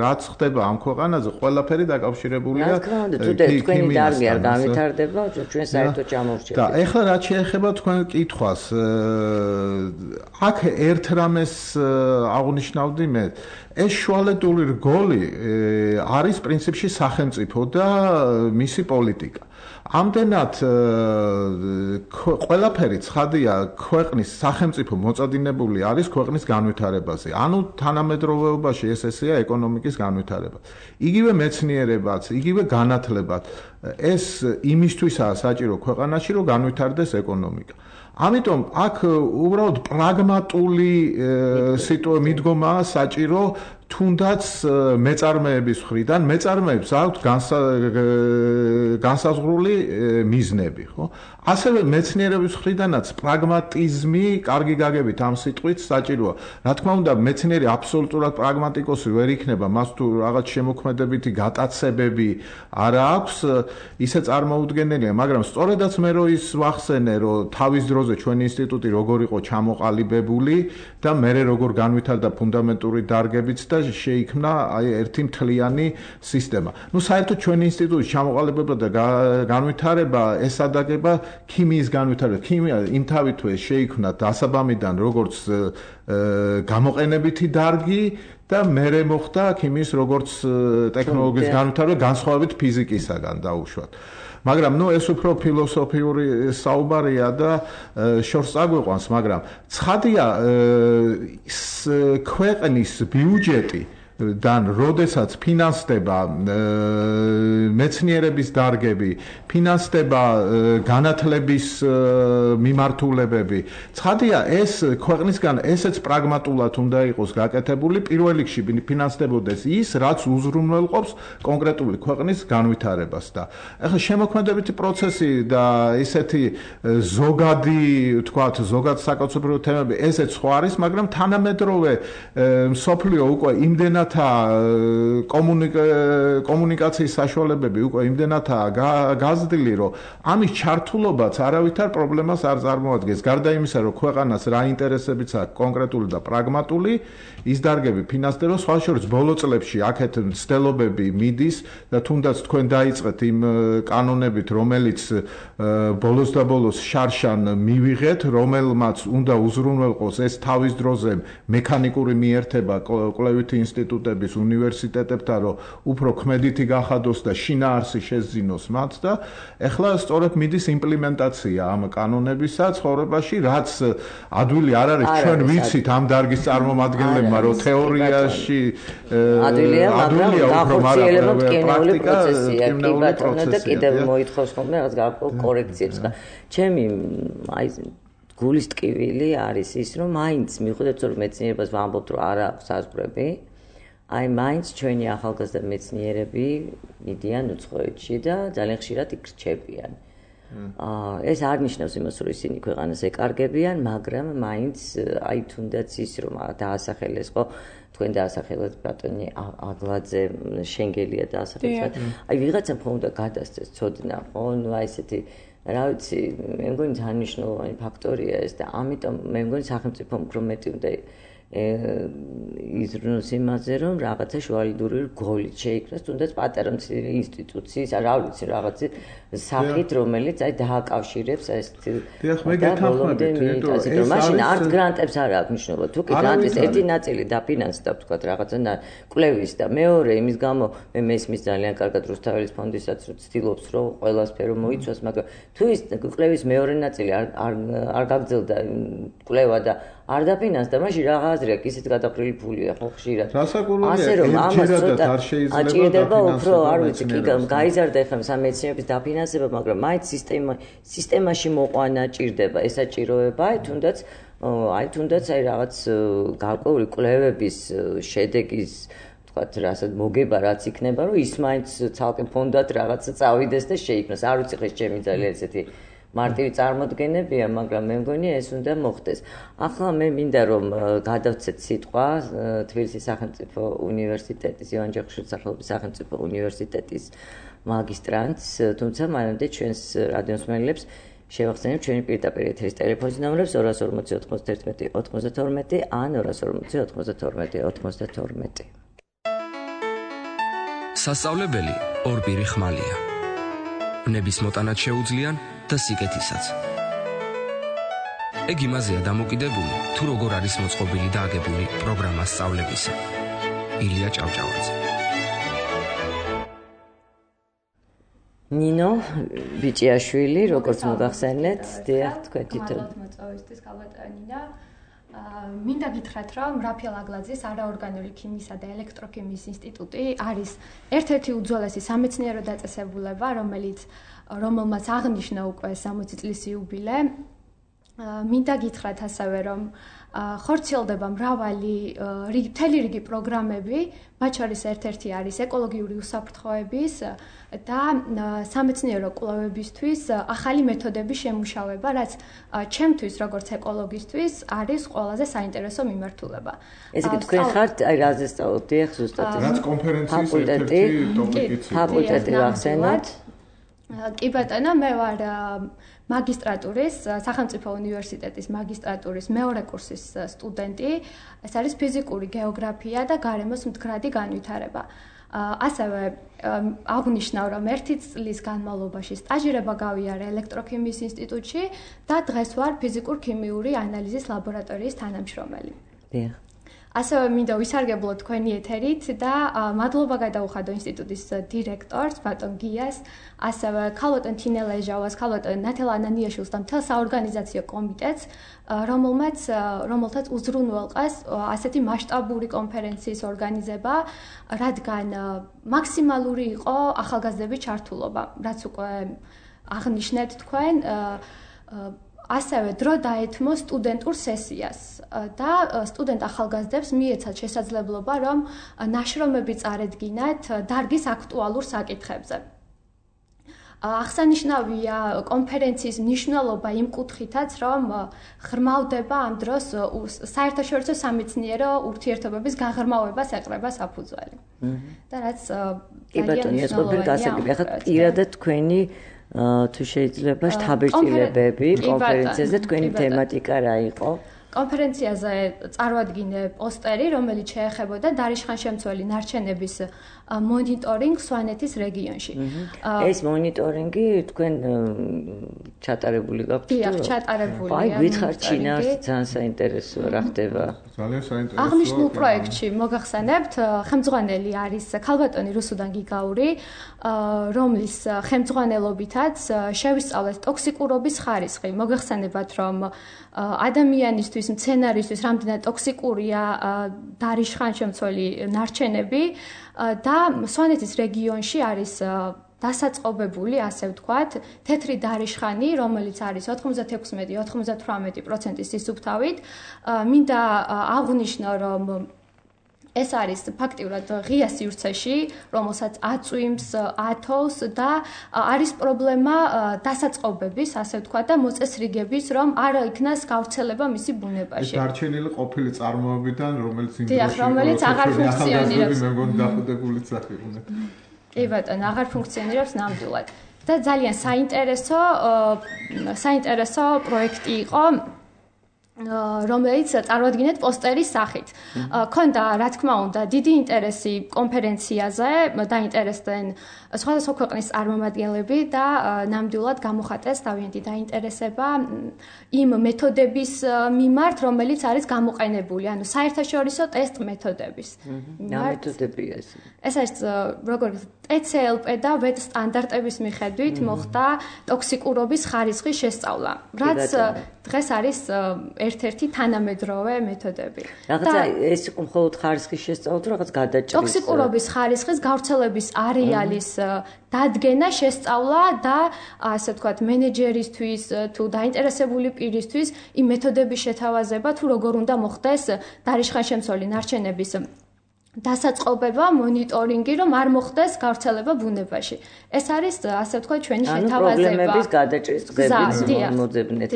რაც ხდება ამ ქვეყანაზე, ყველაფერი დაკავშირებულია თქვენი დარგი არ განვითარდება, ჩვენ საერთოდ ჩამოვრჩებით. და ეხლა რაც შეეხება თქვენ კითხვას, აქ ერთ რამეს აღნიშნავდი მე ეს შუალედური რგოლი არის პრინციპში სახელმწიფო და მისი პოლიტიკა. ამდენად ყველაფერი ცხადია ქვეყნის სახელმწიფო მოწადინებული არის ქვეყნის განვითარებაზე. ანუ თანამედროვეობაში ესეა ეკონომიკის განვითარება. იგივე მეცნიერებაც, იგივე განათლებაც ეს იმისთვისაა საჭირო ქვეყანაში, რომ განვითარდეს ეკონომიკა. ამიტომ აქ უბრალოდ პრაგმატული მიდგომაა საჭირო თუნდაც მეწარმეების მხრიდან მეწარმეებს აქვთ განსაზღვრული მიზნები, ხო? ასევე მეცნიერების მხრიდანაც პრაგმატიზმი, კარგი გაგებით ამ სიტყვით საჭიროა. რა თქმა უნდა, მეცნიერი აბსოლუტურად პრაგმატიკოსი ვერ იქნება, მას თუ რაღაც შემოქმედებითი გატაცებები არ აქვს, ისე წარმოუდგენელია, მაგრამ სწორედაც მე რო ის ვახსენე, რომ თავის დროზე ჩვენი ინსტიტუტი როგორ იყო ჩამოყალიბებული და მე როგორ განვითარდა ფუნდამენტური დარგებიც და შეიქმნა აი ერთი მთლიანი სისტემა. ნუ საერთოდ ჩვენი ინსტიტუტის ჩამოყალიბება და განვითარება ესადაგება ქიმიის განვითარება. ქიმია იმთავითვე შეიქმნა დასაბამიდან როგორც გამოყენებითი დარგი და მერე მოხდა ქიმიის როგორც ტექნოლოგიის განვითარება განსხვავებით ფიზიკისაგან დაუშვათ. მაგრამ ნუ ეს უფრო ფილოსოფიური საუბარია და შორს წაგვიყვანს, მაგრამ ცხადია ქვეყნის ბიუჯეტი დან როდესაც ფინანსდება მეცნიერების დარგები, ფინანსდება განათლების მიმართულებები. ცხადია ეს ქვეყნისგან ესეც პრაგმატულად უნდა იყოს გაკეთებული, პირველ რიგში ფინანსდებოდეს ის, რაც უზრუნველყოფს კონკრეტული ქვეყნის განვითარებას და ეხლა შემოქმედებითი პროცესი და ისეთი ზოგადი, თქვათ, ზოგად საკაცობრიო თემები ესეც ხო არის, მაგრამ თანამედროვე მსოფლიო უკვე იმდენად კომუნიკაციის საშუალებები უკვე იმდენადაა გაზრდილი, რომ ამის ჩართულობაც არავითარ პრობლემას არ წარმოადგენს. გარდა იმისა, რომ ქვეყანას რა ინტერესებიც აქვს კონკრეტული და პრაგმატული, ის დარგები ფინანსდება, სხვა შორის ბოლო წლებში აქეთ მცდელობები მიდის და თუნდაც თქვენ დაიწყეთ იმ კანონებით, რომელიც ბოლოს და ბოლოს შარშან მივიღეთ, რომელმაც უნდა უზრუნველყოს ეს თავის დროზე მექანიკური მიერთება კვლევითი ინსტიტუტი ინსტიტუტების, უნივერსიტეტებთან, რომ უფრო ქმედითი გახადოს და შინაარსი შეძინოს მათ და ეხლა სწორედ მიდის იმპლემენტაცია ამ კანონებისა ცხოვრებაში, რაც ადვილი არ არის ჩვენ ვიცით ამ დარგის წარმომადგენლებმა, რომ თეორიაში ადვილია, მაგრამ გახორციელება ტკივნეული პროცესია, კი ბატონო და კიდევ მოითხოვს ხოლმე რაღაც გარკვეულ კორექციებს. ჩემი აი გულის ტკივილი არის ის, რომ მაინც მიხვდეთ, რომ მეცნიერებას ვამბობთ, რომ არ აქვს საზღვრები. აი მაინც ჩვენი ახალგაზრდა მეცნიერები მიდიან უცხოეთში და ძალიან ხშირად იქ რჩებიან. ეს არ ნიშნავს იმას, რომ ისინი ქვეყანას ეკარგებიან, მაგრამ მაინც აი თუნდაც ის, რომ დაასახელეს ხო თქვენ დაასახელეთ ბატონი აგლაძე, შენგელია დაასახელეთ. აი ვიღაცამ ხომ უნდა გადასცეს ცოდნა, ხო? ნუ აი ესეთი რა ვიცი, მე მგონი ძალიან მნიშვნელოვანი ფაქტორია ეს და ამიტომ მე მგონი სახელმწიფომ უფრო მეტი უნდა იზრუნოს იმაზე, რომ რაღაცა შუალედური რგოლით შეიქმნას, თუნდაც პატარა ინსტიტუციის, რა ვიცი, რაღაცი სახით, რომელიც აი დააკავშირებს ეს დიახ, მე გეთანხმებით, რომ მაშინ არც გრანტებს არ აქვს მნიშვნელობა. თუ კი გრანტის ერთი ნაწილი დაფინანსდა, ვთქვათ, რაღაცა კვლევის და მეორე იმის გამო მე მესმის ძალიან კარგად რუსთაველის ფონდისაც რომ ცდილობს, რომ ყველა სფერო მოიცვას, მაგრამ თუ ის კვლევის მეორე ნაწილი არ გაგრძელდა კვლევა და არ დაფინანსდა, მაშინ რა აზრი აქვს, ისეთ გადაყრილი ფულია ხო ხშირად. ასე რომ ამას ცოტა აჭირდება უფრო, არ ვიცი, კი გაიზარდა ახლა სამეცნიერების დაფინანსება, მაგრამ მაინც სისტემაში მოყვანა ჭირდება, ეს აჭიროება, აი თუნდაც აი რაღაც გარკვეული კვლევების შედეგის ვთქვათ, რასაც მოგება, რაც იქნება, რომ ის მაინც ცალკე ფონდად რაღაცა წავიდეს და შეიქმნას. არ ვიცი ხეს ჩემი ძალიან ესეთი მარტივი წარმოდგენებია, მაგრამ მე მგონი ეს უნდა მოხდეს. ახლა მე მინდა რომ გადავცეთ სიტყვა თბილისის სახელმწიფო უნივერსიტეტის, ივან ჯაყაშვილის სახელობის სახელმწიფო უნივერსიტეტის მაგისტრანტს, თუმცა მანამდე ჩვენს რადიოსმენელებს შევახსენებ ჩვენი პირდაპირ ეთერის ტელეფონის ნომრებს 240 91 92 ან 240 92 92. სასწავლებელი ორპირი ხმალია. ბნების მოტანაც შეუძლიან და სიკეთისაც. ეგ იმაზეა დამოკიდებული, თუ როგორ არის მოწყობილი და აგებული პროგრამა სწავლებისა. ილია ჭავჭავაძე. ნინო ბიჭიაშვილი, როგორც მოგახსენეთ, დიახ, თქვენ თვითონ მოწვევისთვის გალბატონი და მინდა გითხრათ, რომ რაფიელ აგლაძის არაორგანული ქიმიისა და ელექტროქიმიის ინსტიტუტი არის ერთ-ერთი უძველესი სამეცნიერო დაწესებულება, რომელმაც აღნიშნა უკვე 60 წლის იუბილე. მინდა გითხრათ ასევე, რომ ხორციელდება მთელი რიგი პროგრამები, მათ შორის ერთ-ერთი არის ეკოლოგიური უსაფრთხოების და სამეცნიერო კვლევებისთვის ახალი მეთოდების შემუშავება, რაც ჩემთვის როგორც ეკოლოგისტვის არის ყველაზე საინტერესო მიმართულება. ესე იგი თქვენ ხართ აი რაზე სწავლობთ, დიახ, ზუსტად რაც კონფერენციის ერთ-ერთი ტოპიკიც. ფაკულტეტი ახსენოთ. კი ბატონო, მე ვარ მაგისტრატურის, სახელმწიფო უნივერსიტეტის მაგისტრატურის მეორე კურსის სტუდენტი. ეს არის ფიზიკური გეოგრაფია და გარემოს მდგრადი განვითარება. ასევე აღნიშნავ, რომ 1 წლის განმავლობაში სტაჟირება გავიარე ელექტროქიმიის ინსტიტუტში და დღეს ვარ ფიზიკურ-ქიმიური ანალიზის ლაბორატორიის თანამშრომელი. დიახ. ასევე მინდა ვისარგებლო თქვენი ეთერით და მადლობა გადაუხადო ინსტიტუტის დირექტორს ბატონ გიას, ასევე ქალბატონ თინელეჟავას, ქალბატონ ნათელ ანანიაშვილს და მთელ საორგანიზაციო კომიტეტს, რომელთაც უზრუნველყეს ასეთი მასშტაბური კონფერენციის ორგანიზება, რადგან მაქსიმალური იყო ახალგაზრდების ჩართულობა, რაც უკვე აღნიშნეთ თქვენ. ასევე დრო დაეთმო სტუდენტურ სესიას და სტუდენტ ახალგაზრდებს მიეცათ შესაძლებლობა, რომ ნაშრომები წარედგინათ დარგის აქტუალურ საკითხებზე. აღსანიშნავია კონფერენციის მნიშვნელობა იმ კუთხითაც, რომ ღრმავდება ამ დროს საერთაშორისო სამეცნიერო ურთიერთობების გაღრმავებას ეყრება საფუძველი. და რაც ძალიან მნიშვნელოვანია. ახლა პირადად თქვენი თუ შეიძლება შთაბეჭდილებები კონფერენციაზე თქვენი თემატიკა რა იყო? კონფერენციაზე წარვადგინე პოსტერი, რომელიც შეეხებოდა დარიშხანშემცველი ნარჩენების მონიტორინგ სვანეთის რეგიონში. ეს მონიტორინგი თქვენ ჩატარებული გაქვთ? დიახ, ჩატარებულია. აი, გითხარით შინაარსი ძალიან საინტერესოა, რა ხდება? ძალიან საინტერესოა. აღნიშნულ პროექტში მოგახსენებთ, ხელმძღვანელი არის ქალბატონი რუსუდან გიგაური, რომლის ხელმძღვანელობითაც შევისწავლეთ ტოქსიკურობის ხარისხი. მოგახსენებათ, რომ ადამიანისთვის, მცენარისთვის რამდენად ტოქსიკურია დარიშხანშემცველი ნარჩენები და სვანეთის რეგიონში არის დასაწყობებული, ასე ვთქვათ, თეთრი დარიშხანი, რომელიც არის 96-98% სისუფთავით. მინდა აღვნიშნო, რომ ეს არის ფაქტიურად ღია სივრცეში, რომელსაც აწვიმს, ათოვს და არის პრობლემა დასაწყობების, ასე ვთქვათ, და მოწესრიგების, რომ არ იქნას გავრცელება მისი ბუნებაში. ეს დარჩენილი ყოფილი წარმოებიდან, რომელიც იმ რომელიც აღარ ფუნქციონირებს. მე მგონი დახუდებულიც აღიყვნენ. კი ბატონო, აღარ ფუნქციონირებს ნამდვილად. და ძალიან საინტერესო პროექტი იყო, რომელიც წარვადგინეთ პოსტერის სახით. ქონდა, რა თქმა უნდა, დიდი ინტერესი კონფერენციაზე, დაინტერესდნენ სხვადასხვა ქვეყნის წარმომადგენლები და ნამდვილად გამოხატეს თავიანთი დაინტერესება იმ მეთოდების მიმართ, რომელიც არის გამოყენებული, ანუ საერთაშორისო ტესტ მეთოდების. რა მეთოდებია ეს? ეს არის როგორც TCLP და VET სტანდარტების მიხედვით მოხდა ტოქსიკურობის ხარისხის შესწავლა, რაც დღეს არის ერთ-ერთი თანამედროვე მეთოდები. რაღაცა ეს იყო მხოლოდ ხარისხის შესწავლა თუ რაღაც გადაჭრის? ტოქსიკურობის ხარისხის გავრცელების არეალის დადგენა, შესწავლა და ასე ვთქვათ, მენეჯერისთვის თუ დაინტერესებული პირისთვის იმ მეთოდების შეთავაზება, თუ როგორ უნდა მოხდეს დარიშხანშემცველი ნარჩენების დასაწყობება, მონიტორინგი, რომ არ მოხდეს გავრცელება ბუნებაში. ეს არის, ასე ვთქვათ, ჩვენი შეთავაზება. პრობლემების გადაჭრის წესებიც მოძებნეთ.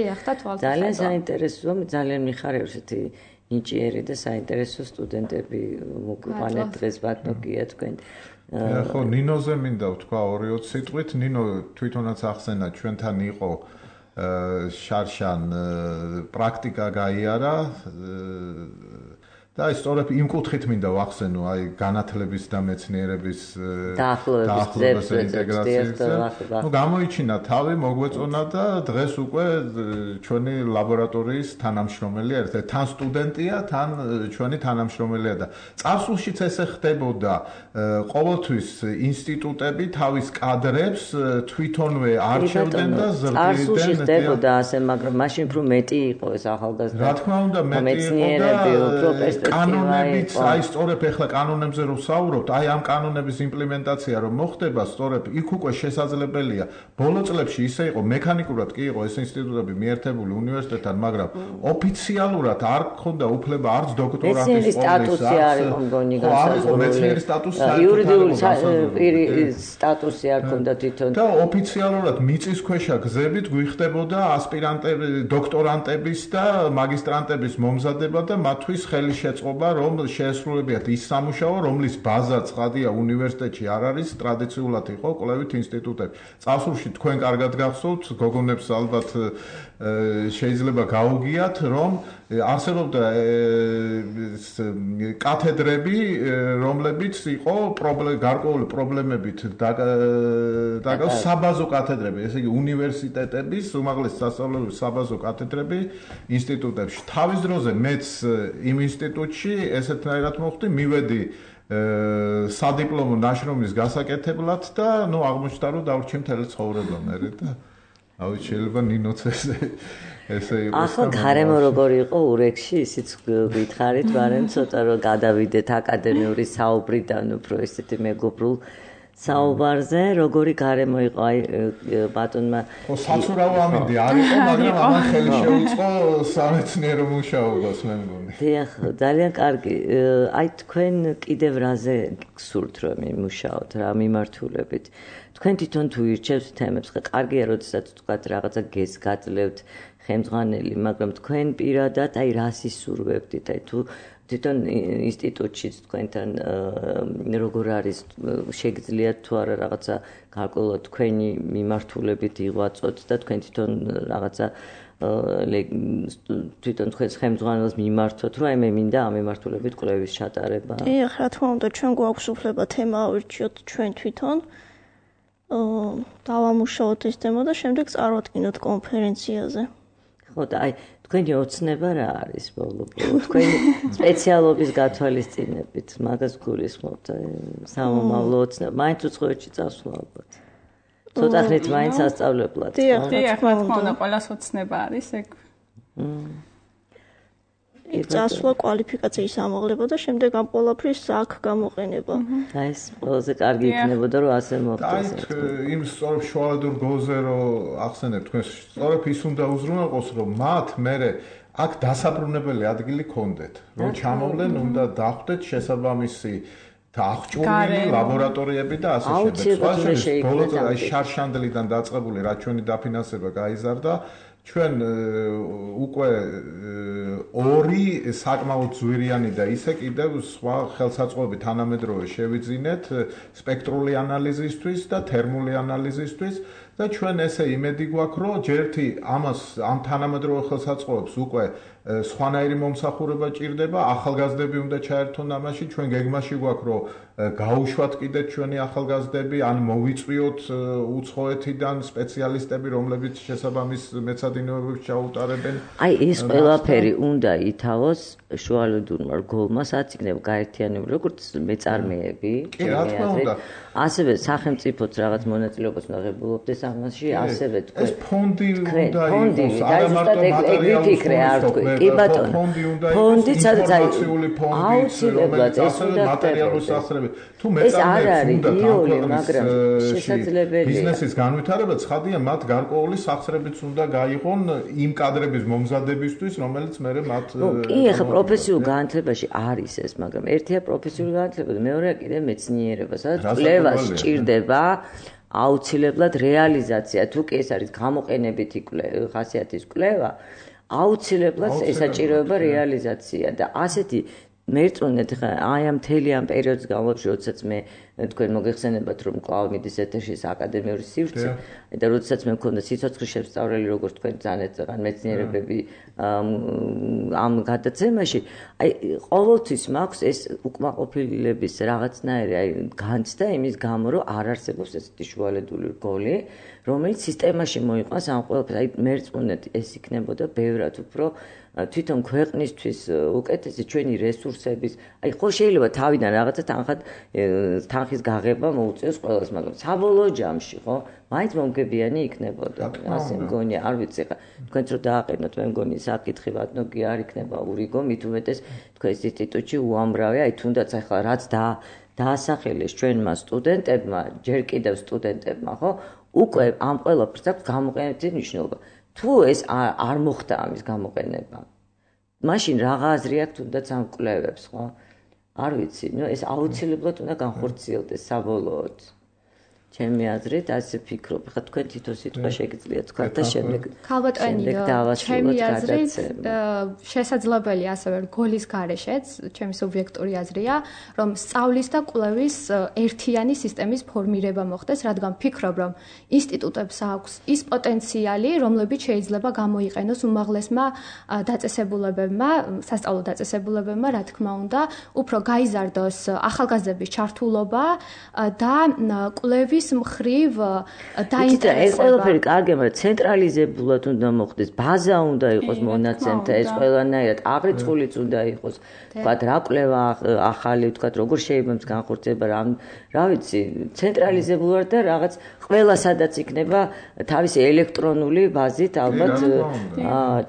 ძალიან საინტერესოა, ძალიან მიხარებს ესეთი ნიჭიერი და საინტერესო სტუდენტები მოგვიყვანეთ დღეს ბატონია თქვენ. ხო, ნინოზე მინდა ვთქვა 2-20 სიტყვით. ნინო თვითონაც ახსენა, ჩვენთან იყო შარშან პრაქტიკა გაიარა და სწორედ იმ კუთხით მინდა ვახსენო, აი განათლების და მეცნიერების დაახლოების ინტეგრაციაზე. ნუ გამოიჩინა თავი, მოგვეწონა და დღეს უკვე ჩვენი ლაბორატორიის თანამშრომელი ერთ-ერთი თან სტუდენტია, თან ჩვენი თანამშრომელია და წარსულშიც ესე ხდებოდა. ყოველთვის ინსტიტუტები თავის კადრებს თვითონვე არჩევდნენ და ზრდიდნენ. წარსულში ხდებოდა ასე, მაგრამ მაშინ უფრო მეტი იყო ეს ახალგაზრდა. რა თქმა უნდა, მეტი იყო და კანონებიც, აი სწორედ ახლა კანონებზე რომ ვსაუბრობთ, აი ამ კანონების იმპლემენტაცია რომ მოხდება, სწორედ იქ უკვე შესაძლებელია. ბოლო წლებში ისე იყო, მექანიკურად კი იყო ეს ინსტიტუტები მიერთებული უნივერსიტეტთან, მაგრამ ოფიციალურად არ ქონდა უფლება არც დოქტორანტის სტატუსი არ იყო მგონი განსაზღვრული. მეცნიერი სტატუსი იურიდიული სტატუსი არ ქონდა თვითონ. და ოფიციალურად მიწისქვეშა გზებით გვიხდებოდა ასპირანტები, დოქტორანტების და მაგისტრანტების მომზადება და მათთვის ხელი შეწყობა, რომ შეესრულებიათ ის სამუშაო, რომლის ბაზა ცხადია უნივერსიტეტში არ არის, ტრადიციულად იყო კვლევით ინსტიტუტები. წარსულში თქვენ კარგად გახსოვთ, გოგონებს ალბათ შეიძლება გაუგიათ, რომ არსებობდა კათედრები, რომლებიც იყო გარკვეული პრობლემებით დაკავებული საბაზო კათედრები, ესე იგი უნივერსიტეტების უმაღლესი სასწავლებელი საბაზო კათედრები ინსტიტუტებში. თავის დროზე მეც იმ ინსტიტუტში ესეთნაირად მოხდი, მივედი სადიპლომო ნაშრომის გასაკეთებლად და ნუ აღმოჩნდა რომ დავრჩი მთელი ცხოვრება მერე და ავი შეიძლება ნინოც ესე იყო. ახლა გარემო როგორი იყო ურექსში, ისიც გითხარით, მაგრამ ცოტა რომ გადავიდეთ აკადემიური საუბრიდან უფრო ესეთი მეგობრულ საუბარზე, როგორი გარემო იყო აი ბატონმა. ხო, საცურავ ამინდი არ იყო, მაგრამ ამან ხელი შეუწყო სამეცნიერო მუშაობას, მე მგონი. დიახ, ძალიან კარგი. აი თქვენ კიდევ რაზე გსურთ რომ იმუშაოთ, რა მიმართულებით? თქვენ თვითონ თუ ირჩევთ თემებს, ხა კარგია, როდესაც თქვათ რაღაცა გესგაძლევთ ხელმძღვანელი, მაგრამ თქვენ პირადად აი რას ისურვებდით, აი თუ თვითონ ინსტიტუტშიც თქვენთან როგორ არის შეგძლიათ თუ არა რაღაცა გარკვეულად თქვენი მიმართულებით იღვაწოთ და თქვენ თვითონ რაღაცა თვითონ თქვენს ხელმძღვანელს მიმართოთ, რომ აი მე მინდა ამ მიმართულებით კვლევის ჩატარება. დიახ, რა თქმა უნდა, ჩვენ გვაქვს უფლება თემა ავირჩიოთ ჩვენ თვითონ. დავამუშაოთ ეს თემა და შემდეგ წარვადგინოთ კონფერენციაზე. ხო და აი თქვენი ოცნება რა არის ბოლო-ბოლო? თქვენი სპეციალობის გათვალისწინებით მაგას გულისხმობთ სამომავლო ოცნება. მაინც უცხოეთში წასვლა ალბათ. ცოტა ხნით მაინც ასწავლებლად. დიახ, რა თქმა უნდა, ყველას ოცნება არის ეგ. წასვლა კვალიფიკაციის ამაღლება და შემდეგ ამ ყველაფრის აქ გამოყენება. აი ეს ყველაზე კარგი იქნებოდა რომ ასე მოხდეს. აი იმ სწორ შუალედურ გოლზე რომ ახსენებ თქვენ სწორედ ის უნდა უზრუნველყოს რომ მათ მერე აქ დასაბრუნებელი ადგილი ქონდეთ. რომ ჩამოვლენ უნდა დახვდეთ შესაბამისი და აღჭურვილი ლაბორატორიები და ასე შემდეგ. ბოლოს აი შარშანდლიდან დაწყებული რა ჩვენი დაფინანსება გაიზარდა. ჩვენ უკვე ორი საკმაოდ ძვირიანი და ისე კიდევ სხვა ხელსაწყოები თანამედროვე შევიძინეთ სპექტრული ანალიზისთვის და თერმული ანალიზისთვის და ჩვენ ესე იმედი გვაქვს რომ ჯერთი ამას ამ თანამედროვე ხელსაწყოებს უკვე სხვანაირი მომსახურება ჭირდება ახალგაზრდები უნდა ჩაერთონ ამაში ჩვენ გეგმაში გვაქვს რომ გაუშვათ კიდე ჩვენი ახალგაზრდები ან მოვიწვიოთ უცხოეთიდან სპეციალისტები რომლებიც შესაბამის მეცადინეობებს ჩაუტარებენ აი ეს ყველაფერი უნდა ითავოს შუალედურმა რგოლმა სადაც იქნება გაერთიანებული როგორც მეწარმეები ასევე სახელმწიფოც რაღაც მონაწილეობას უნდა ღებულობდეს ამაში ასევე თქვენ ეს ფონდი უნდა იყოს არა მარტო მატერიალური კი ბატონო ფონდი სადაც აუცილებლად ეს უნდა მატერიალური სახსრები თუ მეწარმეებს უნდა მაგრამ შესაძლებელია ბიზნესის განვითარება ცხადია მათ გარკვეული სახსრებიც უნდა გაიღონ იმ კადრების მომზადებისთვის რომელიც მერე მათ კი ახლა პროფესიულ განათლებაში არის ეს მაგრამ ერთია პროფესიული განათლება და მეორეა კიდე მეცნიერება სადაც კვლევას სჭირდება აუცილებლად რეალიზაცია თუ კი ეს არის გამოყენებითი ხასიათის კვლევა აუცილებლად ესაჭიროება რეალიზაცია და ასეთი მერწმუნეთ ხა აი ამ მთელი ამ პერიოდის განმავლობაში როდესაც მე თქვენ მოგეხსენებათ რომ კვლავ მიდის ეთერში აკადემიური სივრცე და როდესაც მე მქონდა სიცოცხლის შესწავლელი როგორც თქვენ ძალიან მეცნიერებები ამ გადაცემაში აი ყოველთვის მაქვს ეს უკმაყოფილების რაღაცნაირი აი განცდა იმის გამო რომ არ არსებობს ესეთი შუალედური რგოლი რომელიც სისტემაში მოიყვანს ამ ყველაფერს აი მერწმუნეთ ეს იქნებოდა ბევრად უფრო თვითონ ქვეყნისთვის უკეთესი ჩვენი რესურსების აი ხო შეიძლება თავიდან რაღაცა თანხის გაღება მოუწიოს ყველას მაგრამ საბოლოო ჯამში ხო მაინც მომგებიანი იქნებოდა ასე მგონია არ ვიცი ხა თქვენც რო დააყენოთ მე მგონი საკითხი ბატონო არ იქნება ურიგო მით უმეტეს თქვენს ინსტიტუტში უამრავი აი თუნდაც ახლა რაც დაასახელეს ჩვენმა სტუდენტებმა ჯერ კიდევ სტუდენტებმა ხო უკვე ამ ყველაფერს აქვს გამოყენებითი მნიშვნელობა თუ ეს არ მოხდა ამის გამოყენება მაშინ რაღა აზრი აქვს თუნდაც ამ კვლევებს ხო არ ვიცი ნუ ეს აუცილებლად უნდა განხორციელდეს საბოლოოდ ჩემი აზრით ასე ფიქრობ ხა თქვენ თვითონ სიტყვა შეგიძლიათ თქვა და შემდეგ ჩემი აზრით შესაძლებელია ასევე რგოლის გარეშეც ჩემი სუბიექტური აზრია რომ სწავლის და კვლევის ერთიანი სისტემის ფორმირება მოხდეს რადგან ფიქრობ რომ ინსტიტუტებს აქვს ის პოტენციალი რომლებიც შეიძლება გამოიყენოს უმაღლესმა დაწესებულებებმა სასწავლო დაწესებულებებმა რა თქმა უნდა უფრო გაიზარდოს ახალგაზრდების ჩართულობა და კვლევის მხრივ დაინტერესება. ეს ყველაფერი კარგია, მაგრამ ცენტრალიზებულად უნდა მოხდეს, ბაზა უნდა იყოს მონაცემთა, ეს ყველანაირად აღრიცხულიც უნდა იყოს. ვთქვათ, რა კვლევა ახალი, ვთქვათ, როგორ შეიძლება განხორციელება, რა ვიცი, ცენტრალიზებულად და რაღაც ყველა სადაც იქნება თავისი ელექტრონული ბაზით, ალბათ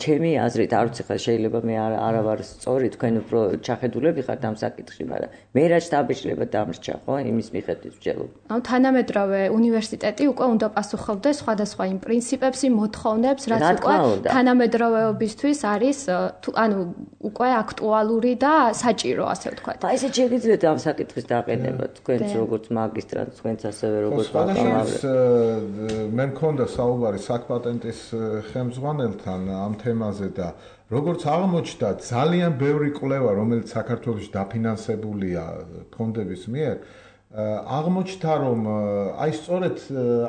ჩემი აზრით, არ ვიცი ხა შეიძლება მე არა ვარ სწორი, თქვენ უფრო ჩახედულები ხართ ამ საკითხში, მაგრამ მე რაც დაბეჭდება დამრჩა, ხო, იმის მიხედვით ვჯელობ. ანუ თანამედროვე უნივერსიტეტი უკვე უნდა პასუხობდეს სხვადასხვა იმ პრინციპებს, იმ მოთხოვნებს, რაც უკვე თანამედროვეობისთვის არის, ანუ უკვე აქტუალური და საჭირო, ასე ვთქვათ. აი ესე შეგიძლიათ ამ საკითხის დაყენება, თქვენც როგორც მაგისტრანტ, თქვენც ასევე როგორც ბაკალავრი. მე მქონდა საუბარი საკპატენტის ხელმძღვანელთან ამ თემაზე და როგორც აღმოჩნდა, ძალიან ბევრი კვლევა, რომელიც საქართველოში დაფინანსებულია ფონდების მიერ, აღმოჩნდა რომ აი სწორედ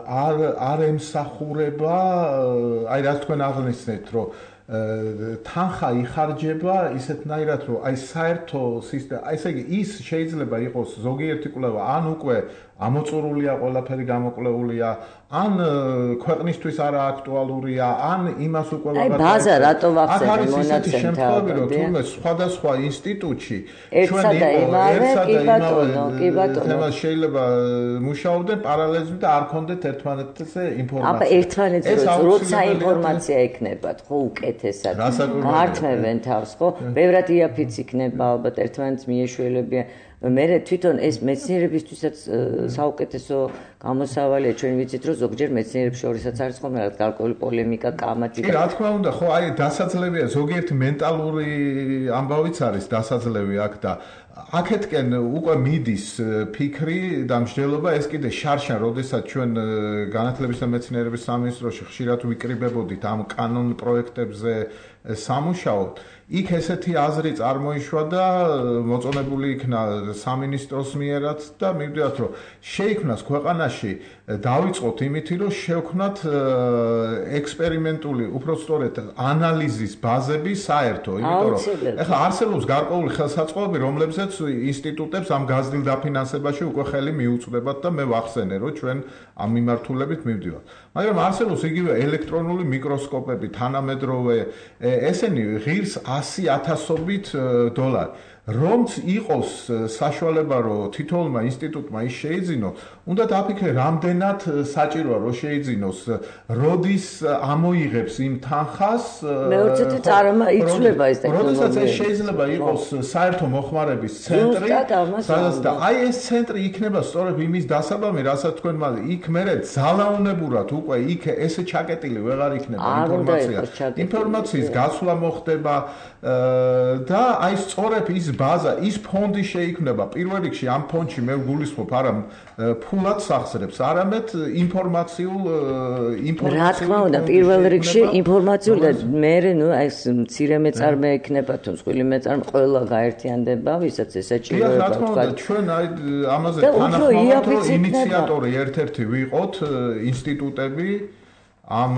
არ ემსახურება აი რაც თქვენ აღნიშნეთ რომ თანხა იხარჯება ისეთნაირად რომ აი საერთო სისტემა აი ესე იგი ის შეიძლება იყოს ზოგიერთი კვლევა ან უკვე ამოწურულია ყველაფერი გამოკვლეულია ან ქვეყნისთვის არა აქტუალურია ან იმას უკვე აი ბაზა რატო ვახსენე მონაცემთა რომ თუმცა სხვადასხვა ინსტიტუტში ერთსა და იმავე თემას შეიძლება მუშაობდნენ პარალელიზმი და არ ქონდეთ ერთმანეთზე ინფორმაცია. აბა ერთმანეთზე როცა ინფორმაცია ექნებათ, ხო უკეთესად. გართმევენ თავს, ხო? ბევრად იაფიც იქნება ალბათ ერთმანეთს მიეშველებიან. მე თვითონ ეს მეცნიერებისთვისაც საუკეთესო გამოსავალია ჩვენ ვიცით რომ ზოგჯერ მეცნიერებს შორისაც არის ხოლმე რაღაც გარკვეული პოლემიკა კამათი კი რა თქმა უნდა ხო აი დასაძლევია ზოგიერთი მენტალური ამბავიც არის დასაძლევი აქ და აქეთკენ უკვე მიდის ფიქრი და მსჯელობა ეს კიდე შარშან როდესაც ჩვენ განათლების და მეცნიერების სამინისტროში ხშირად ვიკრიბებოდით ამ კანონ პროექტებზე სამუშაოდ იქ ესეთი აზრი წარმოიშვა და მოწონებული იქნა სამინისტროს მიერაც და მივდივართ რომ შეიქმნას ქვეყანაში დავიწყოთ იმითი რომ შევქმნათ ექსპერიმენტული უпростоრეთ ანალიზის ბაზები საერთო იმიტომ რომ ეხლა არსებობს გარკვეული ხელსაწყოები რომლებზეც ინსტიტუტებს ამ გაზრდილ დაფინანსებაში უკვე ხელი მიუწვდებათ და მე ვახსენე რომ ჩვენ ამ მიმართულებით მივდივართ მაგრამ არსებობს იგივე ელექტრონული მიკროსკოპები თანამედროვე ესენი ღირს 100,000-ობით დოლარი რომც იყოს საშუალება რომ თითოეულმა ინსტიტუტმა ის შეიძინოს უნდა დააფიქრე რამდენად საჭიროა რომ შეიძინოს როდის ამოიღებს იმ თანხას მეურვეთა წარმოება იცვლება ეს ტექნოლოგია როდესაც ეს შეიძლება იყოს საერთო მოხმარების ცენტრი სადაც და აი ეს ცენტრი იქნება სწორედ იმის დასაბამი რასაც თქვენ იქ მერე ძალაუნებურად უკვე იქ ესე ჩაკეტილი ვეღარ იქნება ინფორმაციის გასვლა მოხდება და აი სწორედ ის ბაზა, ის ფონდი შეიქმნება პირველ რიგში ამ ფონდში მე გულისხმობ არა ფულად სახსრებს, არამედ ინფორმაციულ რა თქმა უნდა, პირველ რიგში ინფორმაციულ და მე ნუ ეს მცირე მეწარმე ექნება თუ მსხვილი მეწარმე ყველა გაერთიანდება, ვისაც ესაჭიროება თქვა. ჩვენ აი ამაზე თანახმოვანთ ინიციატორი ერთ-ერთი ვიყოთ ინსტიტუტები ამ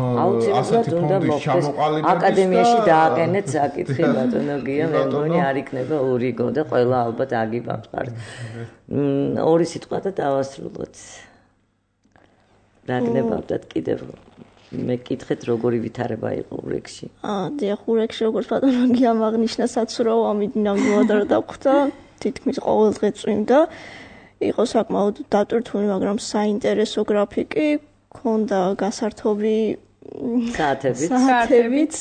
ასეთი ფონდის ჩამოყალიბების აკადემიაში დააყენეთ საკითხი ბატონო გია მე მგონი არ იქნება ურიგო და ყველა ალბათ აგიბამყართ. ორი სიტყვა და დავასრულოთ. დაგნებავდათ კიდევ მე კითხეთ როგორი ვითარება იყო ურეგში. დიახ ურეგში როგორც ბატონო გიამ აღნიშნა საცურაო ამიტომ რომ დავხვდა თითქმის ყოველ დღე წვიმდა იყო საკმაოდ დატვირთული მაგრამ საინტერესო გრაფიკი ქონდა გასართობი საათებით.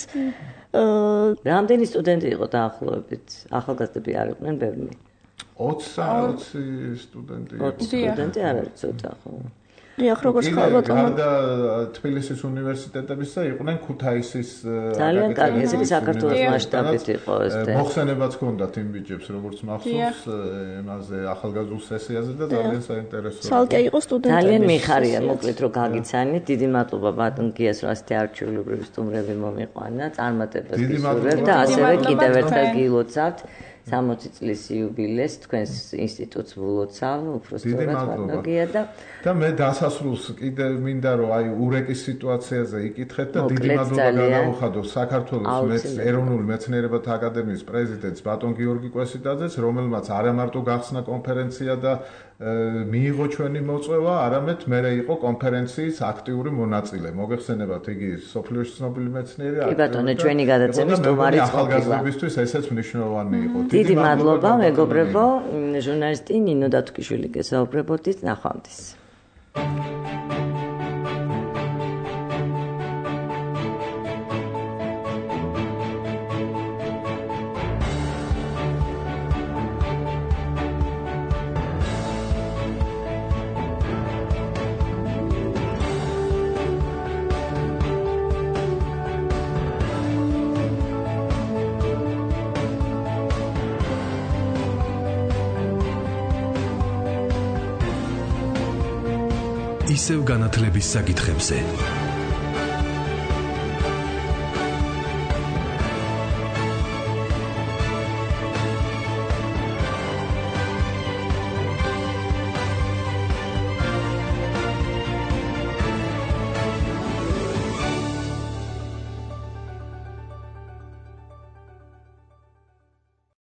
რამდენი სტუდენტი იყო დაახლოებით? ახალგაზრდები არ იყვნენ ბევრი? 20 სტუდენტი. 20 სტუდენტი არ არის ცოტა ხო? დიახ, როგორც ხალბატონო. გარდა თბილისის უნივერსიტეტებისა იყვნენ ქუთაისის ძალიან კარგი, ეს ის საქართველოს მასშტაბით იყო ეს და მოხსენებაც ჰქონდათ იმ ბიჭებს, როგორც მახსოვს, იმაზე ახალგაზრდულ სესიაზე და ძალიან საინტერესოა. ცალკე იყო სტუდენტები. ძალიან მიხარია, მოკლედ რომ გაგიცანით. დიდი მადლობა ბატონ გიას, რომ ასეთი არჩეულებრივი სტუმრები მომიყვანა, წარმატებას გისურვებთ და ასევე კიდევ ერთხელ გილოცავთ 60 წლის იუბილეს თქვენს ინსტიტუტს ვლოცავ, უბრალოდ ბატონოგია და მე დასასრულს კიდე მინდა რომ აი ურეკის სიტუაციაზე იკითხეთ და დიდი მადლობა გადავუხადო საქართველოს ეროვნული მეცნიერებათა აკადემიის პრეზიდენტს ბატონ გიორგი კვესიტაძეს, რომელმაც არა მარტო გახსნა კონფერენცია და მიიღო ჩვენი მოწვევა, არამედ მერე იყო კონფერენციის აქტიური მონაწილე. მოგეხსენებათ, იგი სოფლიოში ცნობილი მეცნიერია. კი ბატონო, ჩვენი გადაცემის სტუმარიც ყოფილა. ახალგაზრდებისთვის ესეც მნიშვნელოვანი იყო. დიდი მადლობა, მეგობრებო, ჟურნალისტი ნინო დათუქიშვილი გესაუბრებოდით, ნახვამდის. ისევ განათლების საკითხებზე